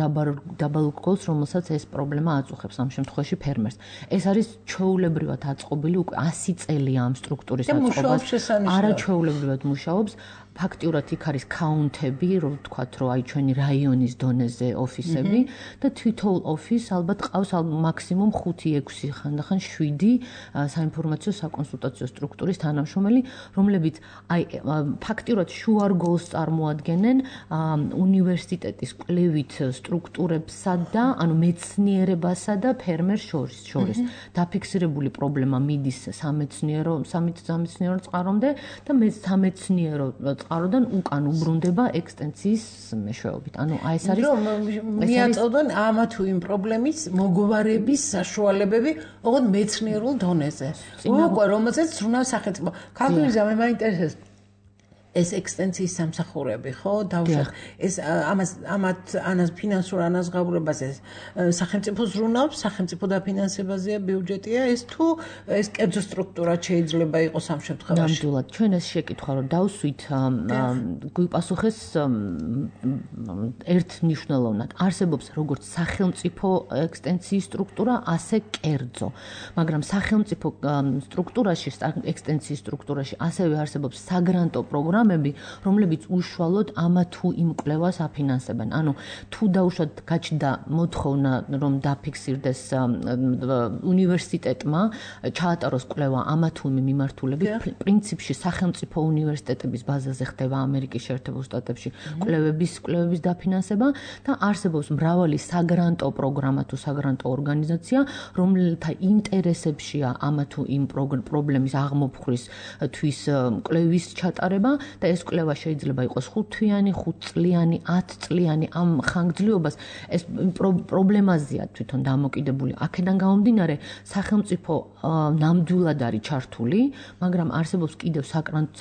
დაბალ გოლს, რომელსაც ეს პრობლემა აწუხებს ამ შემთხვევაში ფერმერს. ეს არის ჩვეულებრივად აწყობილი უკვე 100 წელია ამ სტრუქტურის აწყობას. არაჩვეულებრივად მუშაობს. ფაქტიურად იქ არის კაუნტები, რომ ვთქვათ, რომ აი ჩვენი რაიონის დონეზე ოფისები და თითოეულ ოფისს ალბათ ყავს მაქსიმუმ 5-6 ხანდახან 7 საინფორმაციო საკონსულტაციო სტრუქტურის თანამშრომელი, რომლებიც აი ფაქტიურად შუარგოლს წარმოადგენენ უნივერსიტეტის კვლევით სტრუქტურებსა და ანუ მეცნიერებასა და ფერმერს შორის. დაფიქსირებული პრობლემა მიდის სამეცნიერო წყარომდე და სამეცნიერო წყაროდან უკან უბრუნდება ექსტენსიის მეშვეობით. ანუ აი ეს არის მიაწოდონ ამა თუ იმ პრობლემის მოგვარების საშუალებები ოღონდ მეცნიერულ დონეზე. უკვე რომელზეც ზრუნავს სახელმწიფო. ქართულიზა მე მაინტერესებს ეს ექსტენსიის სამსახურები, ხო? დავუშვათ. ეს ამას ფინანსურ ანაზღაურებაზე სახელმწიფო ზრუნავს, სახელმწიფო დაფინანსებაზეა, ბიუჯეტია ეს თუ ეს კერძო სტრუქტურა შეიძლება იყოს ამ შემთხვევაში? ნამდვილად, ჩვენ ეს შეკითხვა რომ დავსვით, გვიპასუხეს ერთ მნიშვნელოვნად. არსებობს როგორც სახელმწიფო ექსტენსიის სტრუქტურა, ასე კერძო. მაგრამ სახელმწიფო სტრუქტურაში, ექსტენსიის სტრუქტურაში ასევე არსებობს საგრანტო პროგრამები, რომლებიც უშუალოდ ამა თუ იმ კვლევას აფინანსებენ. ანუ თუ დაუშვათ გაჩნდა მოთხოვნა, რომ დაფიქსირდეს უნივერსიტეტმა ჩაატაროს კვლევა ამა თუ იმ მიმართულებით, პრინციპში სახელმწიფო უნივერსიტეტების ბაზაზე ხდება ამერიკის შეერთებულ შტატებში კვლევების დაფინანსება და არსებობს მრავალი საგრანტო პროგრამა თუ საგრანტო ორგანიზაცია, რომელთა ინტერესებშია ამა თუ იმ პრობლემის აღმოფხვრის თვის კვლევის ჩატარება და ეს კვლევა შეიძლება იყოს 5 თვიანი, 5 წლიანი, 10 წლიანი ამ ხანგრძლივობას ეს პრობლემაზეა თვითონ დამოკიდებული. აქედან გამომდინარე, სახელმწიფო ნამდვილად არის ჩართული, მაგრამ არსებობს კიდევ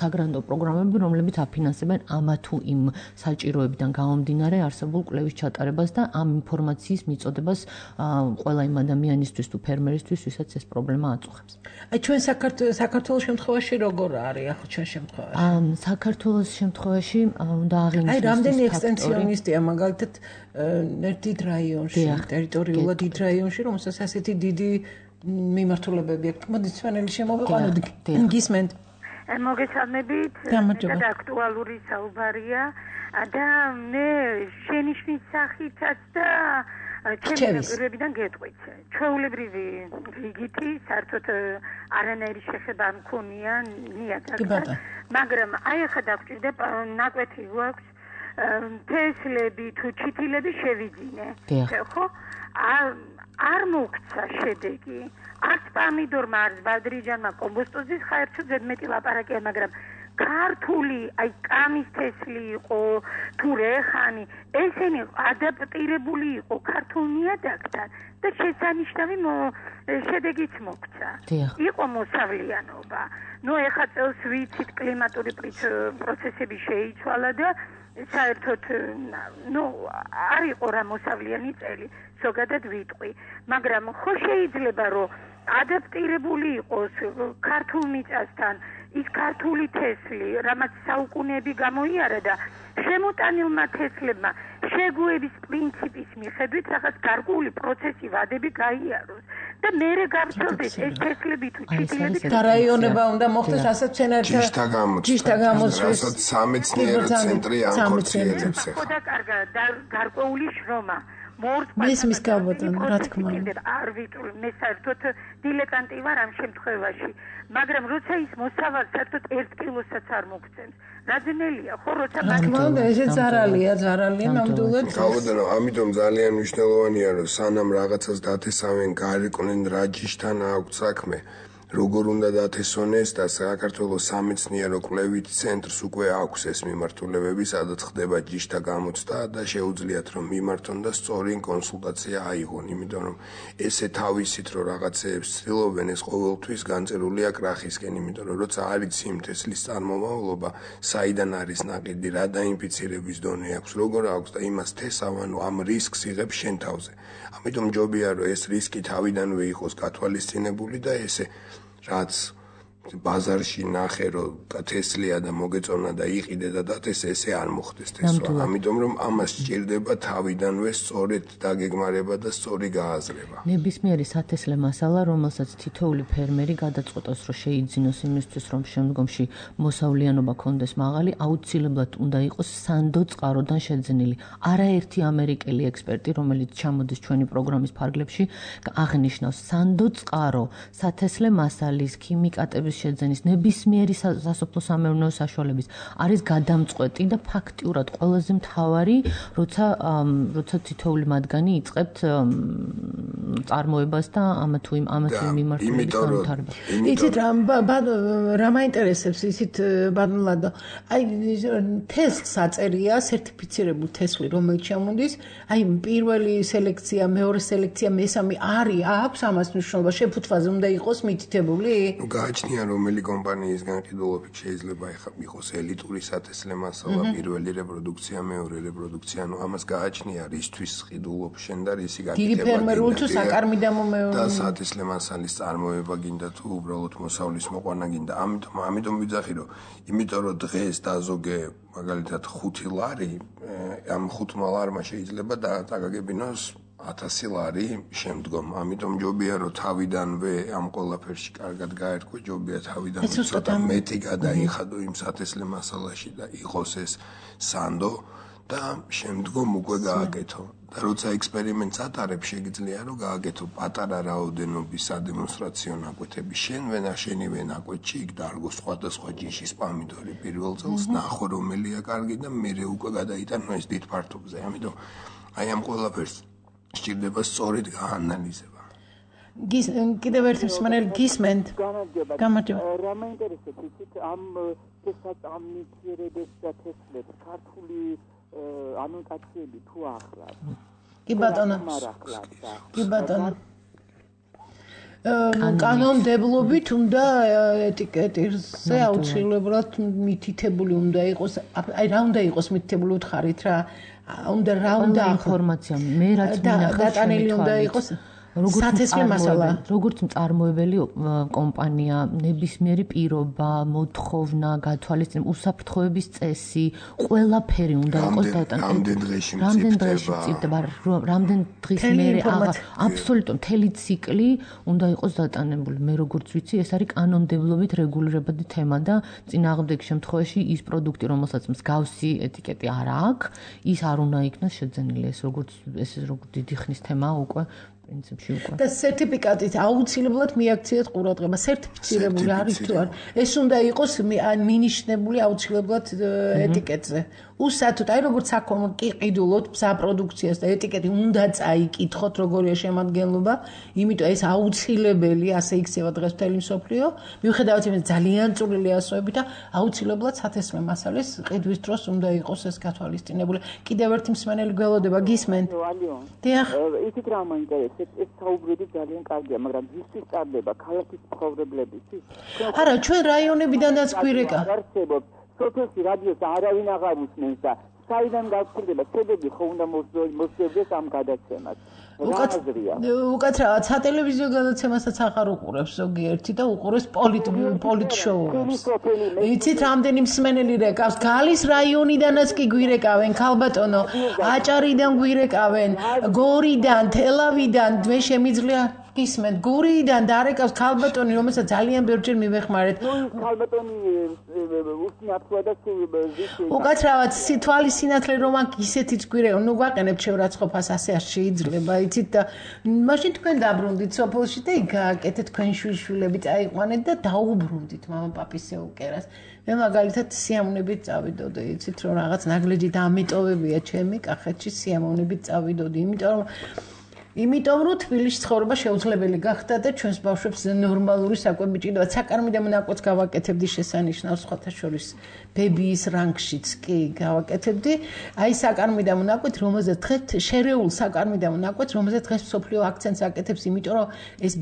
საგრანტო პროგრამები, რომლებიც აფინანსებენ ამა თუ იმ საჭიროებიდან გამომდინარე არსებულ კვლევის ჩატარებას და ამ ინფორმაციის მიწოდებას ყველა იმ ადამიანისთვის თუ ფერმერისთვის, ვისაც ეს პრობლემა აწუხებს. აი ჩვენ საქართველოს შემთხვევაში როგორ არის ახლა ჩვენ შემთხვევაში? საქართველოს შემთხვევაში უნდა აღინიშნოს აი რამდენი ექსტენსიონისტია მაგალითად დიდ რაიონში, ტერიტორიულად დიდ რაიონში, რომელსაც ასეთი დიდი მიმართულებები აქვს. მოდით სვანელი შემოვიყვანოთ. გისმენთ. მოგესალმებით. და აქტუალური საუბარია და მე შენიშვნის სახითაც და ჩემი პირებიდან გეტყვით. ჩვეულებრივი რიგითი საერთოდ არანაირი შეხება მქონია ნიადაგთან, მაგრამ აი ახლა დაგჭირდა ნაკვეთი გვაქვს თესლები თუ ჩითილები შევიძინე. ხო? არ მოგცა შედეგი. არც პამიდორმა, არც ბადრიჯანმა კომბოსტოზის ხაერცო ზედმეტი ლაპარაკია, მაგრამ ქართული აი კამის თესლი იყო თუ რეხანი, ესენი ადაპტირებული იყო ქართულ ნიადაგთან და შესანიშნავი შედეგიც მოგცა. იყო მოსავლიანობა. ნუ ეხლა წელს ვიცით კლიმატური პროცესები შეიცვალა და საერთოდ არ იყო რა მოსავლიანი წელი, ზოგადად ვიტყვი, მაგრამ ხო შეიძლება რომ ადაპტირებული იყოს ქართულ მიწასთან ის ქართული თესლი, რამაც საუკუნეები გამოიარა და შემოტანილმა თესლებმა შეგუების პრინციპის მიხედვით რაღაც გარკვეული პროცესი ვადები გაიაროს და მერე გავრცელდეს ეს თესლები თუ ჩიტილები და რაიონება უნდა მოხდეს ასეთ სცენართა ჯიშთა გამოცვას, რასაც სამეცნიერო ცენტრი ანხორციელებს. ხოდა კარგად გარკვეული შრომა მის გაბატონ, რა თქმა უნდა. არ ვიტყვი, მე საერთოდ დილეტანტი ვარ ამ შემთხვევაში, მაგრამ როცა ის მოსავალ საერთოდ 1 კილოსაც არ მოგცემს. რაძენელია, ხო, როცა მაგალითად ესე ზარალია ნამდვილად. გავუდერო, ამიტომ ძალიან მნიშვნელოვანია, რომ სანამ რაღაცას დათესავენ, გარიყვნენ რა ჯიშთან აქვს საქმე. როგორ უნდა დათესონეს და საქართველოს სამეცნიერო კვლევით ცენტრს უკვე აქვს ეს მიმართულებები, სადაც ხდება ჯიშთა გამოცდა და შეუძლიათ რომ მიმართონ და სწორი კონსულტაცია აიღონ, იმიტომ რომ ესე თავისით რომ რაღაცეებს ცდილობენ, ეს ყოველთვის განწერულია კრახისკენ, იმიტომ რომ როცა არის იმ თესლის წარმომავლობა, საიდან არის ნაყიდი, რა დაინფიცირების დონე აქვს, როგორ აქვს და იმას თესავ, ამ რისკს იღებს შენ თავზე. ამიტომ ჯობია რომ ეს რისკი თავიდანვე იყოს გათვალისწინებული და ესე რაც ბაზარში ნახე რომ თესლია და მოგეწონა და იყიდე და დათესე ესე არ მოხდეს თესვა. ამიტომ რომ ამას სჭირდება თავიდანვე სწორედ დაგეგმარება და სწორი გააზრება. ნებისმიერი სათესლე მასალა, რომელსაც თითოეული ფერმერი გადაწყვეტავს, რომ შეიძინოს იმისთვის, რომ შემდგომში მოსავლიანობა კონდეს მაღალი, აუცილებლად უნდა იყოს სანდო წყაროდან შეძენილი. არაერთი ამერიკელი ექსპერტი, რომელიც ჩამოდის ჩვენი პროგრამის ფარგლებში, აღნიშნავს სანდო წყარო, სათესლე მასალის, ქიმიკატების შეძენის, ნებისმიერი სასოფლო სამეურნეო საშუალების არის გადამწყვეტი და ფაქტიურად ყველაზე მთავარი, როცა თითოეული მათგანი იწყებთ წარმოებას და ამა თუ იმ მიმართულებით განვითარებას. იცით რა მაინტერესებს ისიც ბადნლადო. აი თესლს აწერია სერტიფიცირებულ თესლი, რომელიც ჩამოდის, აი პირველი სელექცია, მეორე სელექცია, მესამე აქვს ამას მნიშვნელობა, შეფუთვაზე უნდა იყოს მითითებული? გააჩნია რომელი კომპანიის განყიდულობით შეიძლება იყოს ელიტური სათესლე მასალა, პირველი რეპროდუქცია, მეორე რეპროდუქცია, ამას გააჩნია რისთვის ყიდულობ შენ და რისი გაკეთება. დიდი ფერმერული თუ საკარმი დამომეული და სათესლე მასალის წარმოება გინდა თუ უბრალოდ მოსავლის მოყვანა გინდა. ამიტომ ვიძახი რომ იმიტომ რომ დღეს დაზოგე მაგალითად 5 ლარი, ამ 5 ლარმა შეიძლება დაგაგებინოს 1000 ლარი შემდგომ. ამიტომ ჯობია რომ თავიდანვე ამ ყველაფერში კარგად გაერკვე, ჯობია თავიდან ცოტა მეტი გადაიხადო იმ სათესლე მასალაში და იყოს ეს სანდო და შემდგომ უკვე გააკეთო. და როცა ექსპერიმენტს ატარებ, შეგიძლია რომ გააკეთო პატარა რაოდენობის სადემონსტრაციო ნაკვეთები. შენივე ნაკვეთში იქ დარგო სხვადასხვა ჯიშის პამიდორი პირველ წელს, ნახო რომელია კარგი და მერე უკვე გადაიტანო ეს დიდ ფართობზე. ამიტომ აი ამ ყველაფერს სჭირდება სწორედ გაანალიზება. კიდევ ერთი მსმენელი გისმენთ. გამარჯობა. რა მაინტერესებს იცით ამ შესაწამნისიერებებს და თესლებს ქართული ანოტაციები თუ ახლავს? კი ბატონო. კანონმდებლობით უნდა ეტიკეტზე აუცილებლად მითითებული უნდა იყოს. აი რა უნდა იყოს მითითებული უთხარით რა? უნდა ინფორმაცია მე რაც მინახავს დატანილი უნდა იყოს როგორც მწარმოებელი კომპანია, ნებისმიერი პირობა, მოთხოვნა, გათვალისწინება, უსაფრთხოების წესი, ყველაფერი უნდა იყოს რამდენ დღეში მწიფდება, რამდენ დღის მერე აბსოლუტურად მთელი ციკლი უნდა იყოს დატანებული. მე როგორც ვიცი, ეს არის კანონმდებლობით რეგულირებადი თემა და წინააღმდეგ შემთხვევაში ის პროდუქტი, რომელსაც მსგავსი ეტიკეტი არ აქვს, ის არ უნდა იქნას შეძენილი. ეს როგორც დიდი ხნის თემაა უკვე. და სერტიფიკატით აუცილებლად მიაქციეთ ყურადღება. სერტიფიცირებული არის თუ არა. ეს უნდა იყოს მინიშნებული აუცილებლად ეტიკეტზე. უსათოდ, აი როგორც საქონლო კი ყიდულობთ საპროდუქციას და ეტიკეტი უნდა წაიკითხოთ როგორია შემადგენლობა, იმიტომ ეს აუცილებელი, ასე იქცევა დღეს მთელი მსოფლიო. მიუხედავად იმისა, ძალიან წვრილი ასოები და აუცილებლად სათესლე მასალის ყიდვის დროს უნდა იყოს ეს გათვალისწინებული. კიდევ ერთი მსმენელი გველოდება, გისმენთ? დიახ. ისიც რა მაინტერესებს, ეს საუბრები ძალიან კარგია, მაგრამ ვისთვის წარდება ქალაქის მცხოვრებლებისთვის? არა, ჩვენ რაიონებიდანაც გვირეკა. სოფელში რადიოს არავინ აღარ უსმენს და საიდან გაგრძელდება შედეგი ხო უნდა მოსწევდეს ამ გადაცემას. უკაცრავად სატელევიზიო გადაცემასაც აღარ უყურებს ზოგიერთი და უყურებს პოლიტ შოუებს. იცით რამდენი მსმენელი რეკავს? გალის რაიონიდანაც კი გვირეკავენ, ქალბატონო, აჭარიდან გვირეკავენ, გორიდან, თელავიდან, მე შემიძლია გისმენთ, გურიდან დარეკავს ქალბატონი, რომელსაც ძალიან ბევრჯერ მივეხმარეთ. ქალბატონი უსმენთ და უკაცრავად თვალის სინათლე რომ აქ ისეთიც გვირეკავენ, ნუ გვაყენებთ შეურაცხყოფას, ასე არ შეიძლება, იცით და მაშინ თქვენ დაბრუნდით სოფელში და იქ გააკეთეთ თქვენ შვილები წაიყვანეთ და დაუბრუნდით მამაპაპის ეუკერას. მე მაგალითად სიამოვნებით წავიდოდი, იცით რომ რაღაც ნაგლეჯი დამეტოვებია ჩემი კახეთში სიამოვნებით წავიდოდი, იმიტომ რომ თბილისში ცხოვრება შეუძლებელი გახდა და ჩვენს ბავშვებს ნორმალური საკვები ჭირდება. საკარმიდე მონაკვეთს გავაკეთებდი შესანიშნავს, სხვათა შორის ბებიის რანგშიც კი გავაკეთებდი. აი საკარმიდე მონაკვეთ, რომელზეც დღეს შერეულ საკარმიდე მონაკვეთს, რომელზეც დღეს მსოფლიო აქცენტს აკეთებს, იმიტომ რომ ეს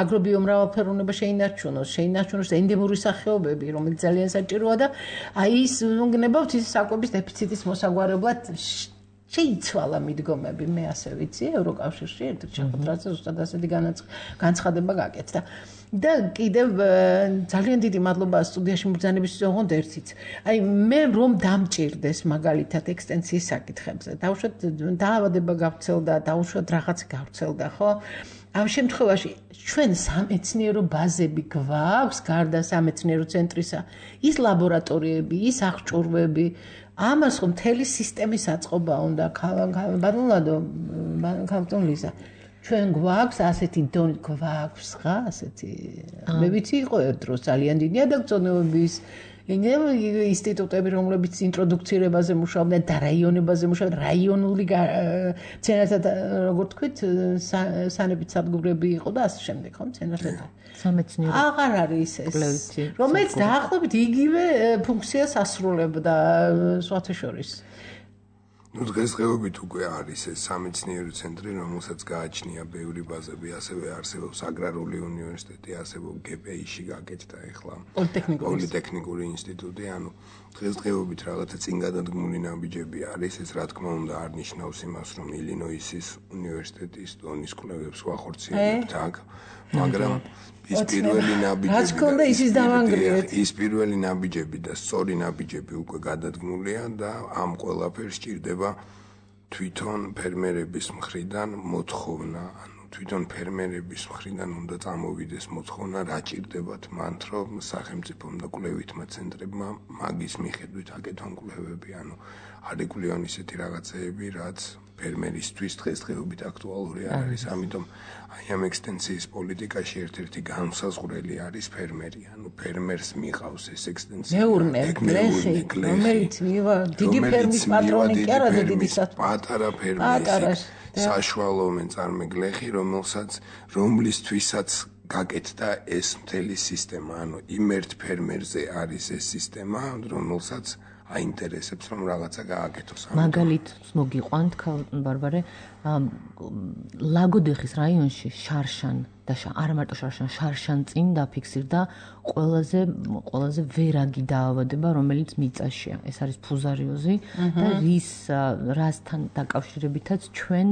აგრობიომრავალფეროვნება შეინარჩუნოს ენდემური სახეობები, რომელიც ძალიან საჭიროა და აი ის უნგნებავთ ის საკვების დეფიციტის მოსაგვარებლად შეიცვალა მიდგომები, მე ასე ვიცი, ევროკავშირში ერთ-ერთ შეხვედრაზე ზუსტად ასეთი განცხადება გაკეთდა. და კიდევ ძალიან დიდი მადლობა სტუდიაში მობრძანებისთვის ოღონდ ერთიც. აი მე რომ დამჭირდეს მაგალითად ექსტენსიის საკითხებზე, დაუშვათ დაავადება გავრცელდა, დაუშვათ რაღაც გავრცელდა, ხო? ამ შემთხვევაში ჩვენ სამეცნიერო ბაზები გვაქვს, გარდა სამეცნიერო ცენტრისა, ის ლაბორატორიები, ის აღჭურვები, ამას რომ მთელი სისტემის აწყობა უნდა ქალბატონ ლიზა ჩვენ გვაქვს ასეთი დონე გვაქვს ხა ასეთი მე ვიცი იყო ერთ დროს ძალიან დიდი ადაგწონებების ინსტიტუტები რომლებიც ინტროდუქცირებაზე მუშაობდნენ და რაიონებაზე მუშაობდნენ რაიონული ცენტრად როგორ თქვით სანებით სადგურები იყო და ასე შემდეგ ხო ცენტრად სამეცნიერო აღარ არის ეს რომელიც დაახლოებით იგივე ფუნქციას ასრულებდა სხვათა შორის ნუ დღესდღეობით უკვე არის ეს სამეცნიერო ცენტრი, რომელსაც გააჩნია ბევრი ბაზები, ასევე არსებობს აგრარული უნივერსიტეტი, ასევე GPI-ში გაკეთდა ახლა პოლიტექნიკური ინსტიტუტი, ანუ დღესდღეობით რაღაცა წინ გადადგმული ნაბიჯები არის, ეს რა თქმა უნდა არ ნიშნავს იმას, რომ ილინოისის უნივერსიტეტის დონის კვლევებს ვახორციელებთ აქ, მაგრამ ის პირველი ნაბიჯები და სწორი ნაბიჯები უკვე გადადგმულია და ამ ყველაფერს ჭირდება თვითონ ფერმერების მხრიდან მოთხოვნა, ანუ თვითონ ფერმერების მხრიდან უნდა წამოვიდეს მოთხოვნა, რა ჭირდებათ მანდ, რომ სახელმწიფომ და კვლევითმა ცენტრებმა მაგის მიხედვით აკეთონ კვლევები, ანუ არ იკვლევენ ისეთი რაღაცეები, რაც ფერმერისთვის დღესდღეობით აქტუალური არ არის, ამიტომ აი ამ ექსტენსიის პოლიტიკაში ერთ-ერთი განსაზღვრელი არის ფერმერი, ანუ ფერმერს მიყავს ეს ექსტენსია. მეურნე, რომელიც მივა დიდი ფერმის პატრონი კი არა და დიდი პატარა ფერმერი, საშუალო მეწარმე გლეხი, რომლისთვისაც გაკეთდა ეს მთელი სისტემა, ანუ იმ ერთ ფერმერზე არის ეს სისტემა, რომელსაც აინტერესებს რომ რაღაცა გააკეთოს. მაგალითს მოგიყვანთ ბარბარე, ლაგოდეხის რაიონში შარშან და არ მარტო შარშან წინ დაფიქსირდა ყველაზე ვერაგი დაავადება, რომელიც მიწაშია. ეს არის ფუზარიოზი და რასთან დაკავშირებითაც ჩვენ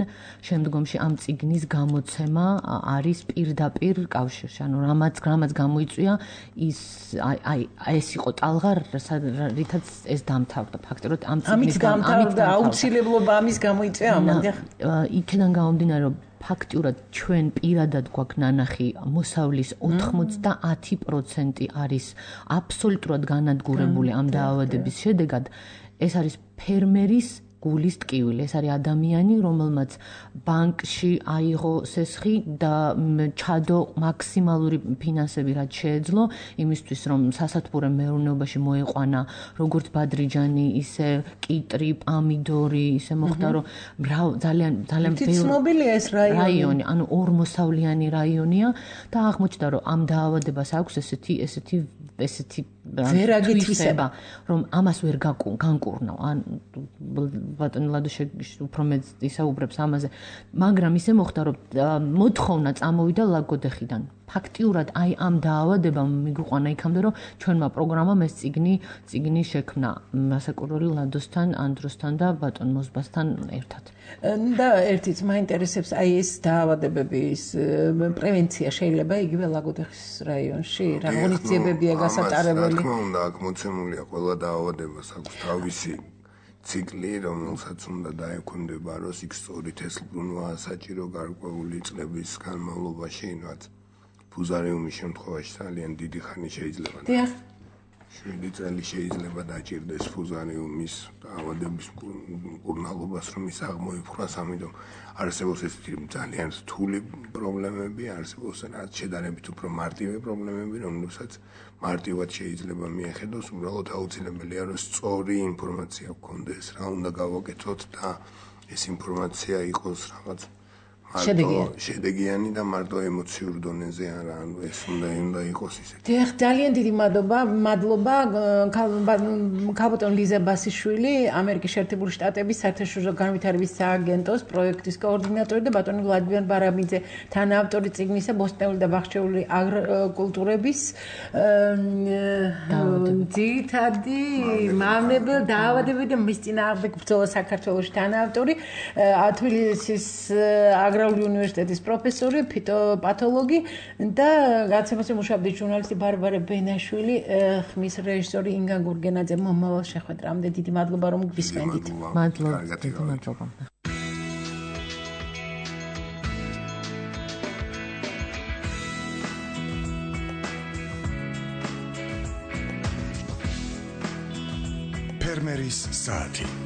შემდგომში ამ წიგნის გამოცემა არის პირდაპირ კავშირში. ანუ რამაც გამოიწვია ეს იყო ტალღა, რითაც ეს დამთავრდა. ფაქტობრივად ამ წიგნის გამთავრდა აუცილებლობა ამის გამოიწვია ამამდე. იქიდან გამომდინარე, რომ ფაქტიურად ჩვენ პირადად გვაქვს ნანახი მოსავლის 90% არის აბსოლუტურად განადგურებული ამ დაავადების შედეგად. ეს არის ფერმერის გულის ტკივილი. ეს არის ადამიანი, რომელმაც ბანკში აიღო სესხი და ჩადო მაქსიმალური ფინანსები, რაც შეეძლო, იმისთვის, რომ სასათბურე მეურნეობაში მოეყვანა როგორც ბადრიჯანი, ისე კიტრი, პამიდორი, ისე მოხდა, რომ ძალიან ცნობილია ეს რაიონი, ანუ ორმოსავლიანი რაიონია და აღმოჩნდა, რომ ამ დაავადებას აქვს ესეთი ვერაგი თვისება, რომ ამას ვერ განკურნავ. ან ბატონი ლადო უფრო მეტ ისაუბრებს ამაზე, მაგრამ ისე მოხდა, რომ მოთხოვნა წამოვიდა ლაგოდეხიდან. ფაქტიურად აი ამ დაავადებამ მიგვიყვანა იქამდე, რომ ჩვენმა პროგრამამ ეს წიგნი შექმნა მასაკურველი ლადოსთან, ანდროსთან და ბატონ მოზბასთან ერთად. და ერთიც მაინტერესებს აი ეს დაავადებების პრევენცია შეიძლება იგივე ლაგოდეხის რაიონში? რა ღონისძიებებია გასატარებელი? რა თქმა უნდა, აქ მოცემულია ყველა დაავადებას აქვს თავისი ციკლი, რომელსაც უნდა დაექვემდებაროს იქ სწორით ეს ბრუნვა საჭირო გარკვეული წლების განმავლობაში, რაც ფუზარიუმის შემთხვევაში ძალიან დიდი ხანი შეიძლება. 7 წელი შეიძლება დაჭირდეს ფუზარიუმის დაავადების მკურნალობას, რომ ის აღმოიფხვრას, ამიტომ არსებობს ესეთი ძალიან რთული პრობლემები, არსებობს რაც შედარებით უფრო მარტივი პრობლემები, რომლებსაც მარტივად შეიძლება მიეხედოს, უბრალოდ აუცილებელია, რომ სწორი ინფორმაცია გქონდეს, რა უნდა გავაკეთოთ და ეს ინფორმაცია იყოს რაღაც შედეგიანი და მარტო ემოციურ დონეზე არა, ანუ ეს უნდა იყოს ისეთი. დიახ, ძალიან დიდი მადლობა ქალბატონ ლიზა ბასიშვილი, ამერიკის შეერთებული შტატების საერთაშორისო განვითარების სააგენტოს პროექტის კოორდინატორი და ბატონი ვლადიმერ ბარაბიძე, თანაავტორი წიგნისა ბოსტნეული და ბახჩეული აგროკულტურების ძირითადი მავნებელ დაავადებები და მის წინააღმდეგ ბრძოლა საქართველოში თანაავტორი, თბილისის უნივერსიტეტის პროფესორი, ფიტოპათოლოგი და გაცემაზე მუშაობდი ჟურნალისტი ბარბარე ბენაშვილი, ხმის რეჟისორი ინგა გურგენაძე. მომავალ შეხვედრამდე დიდი მადლობა, რომ გვისმენდით. მადლობა. ფერმერის საათი.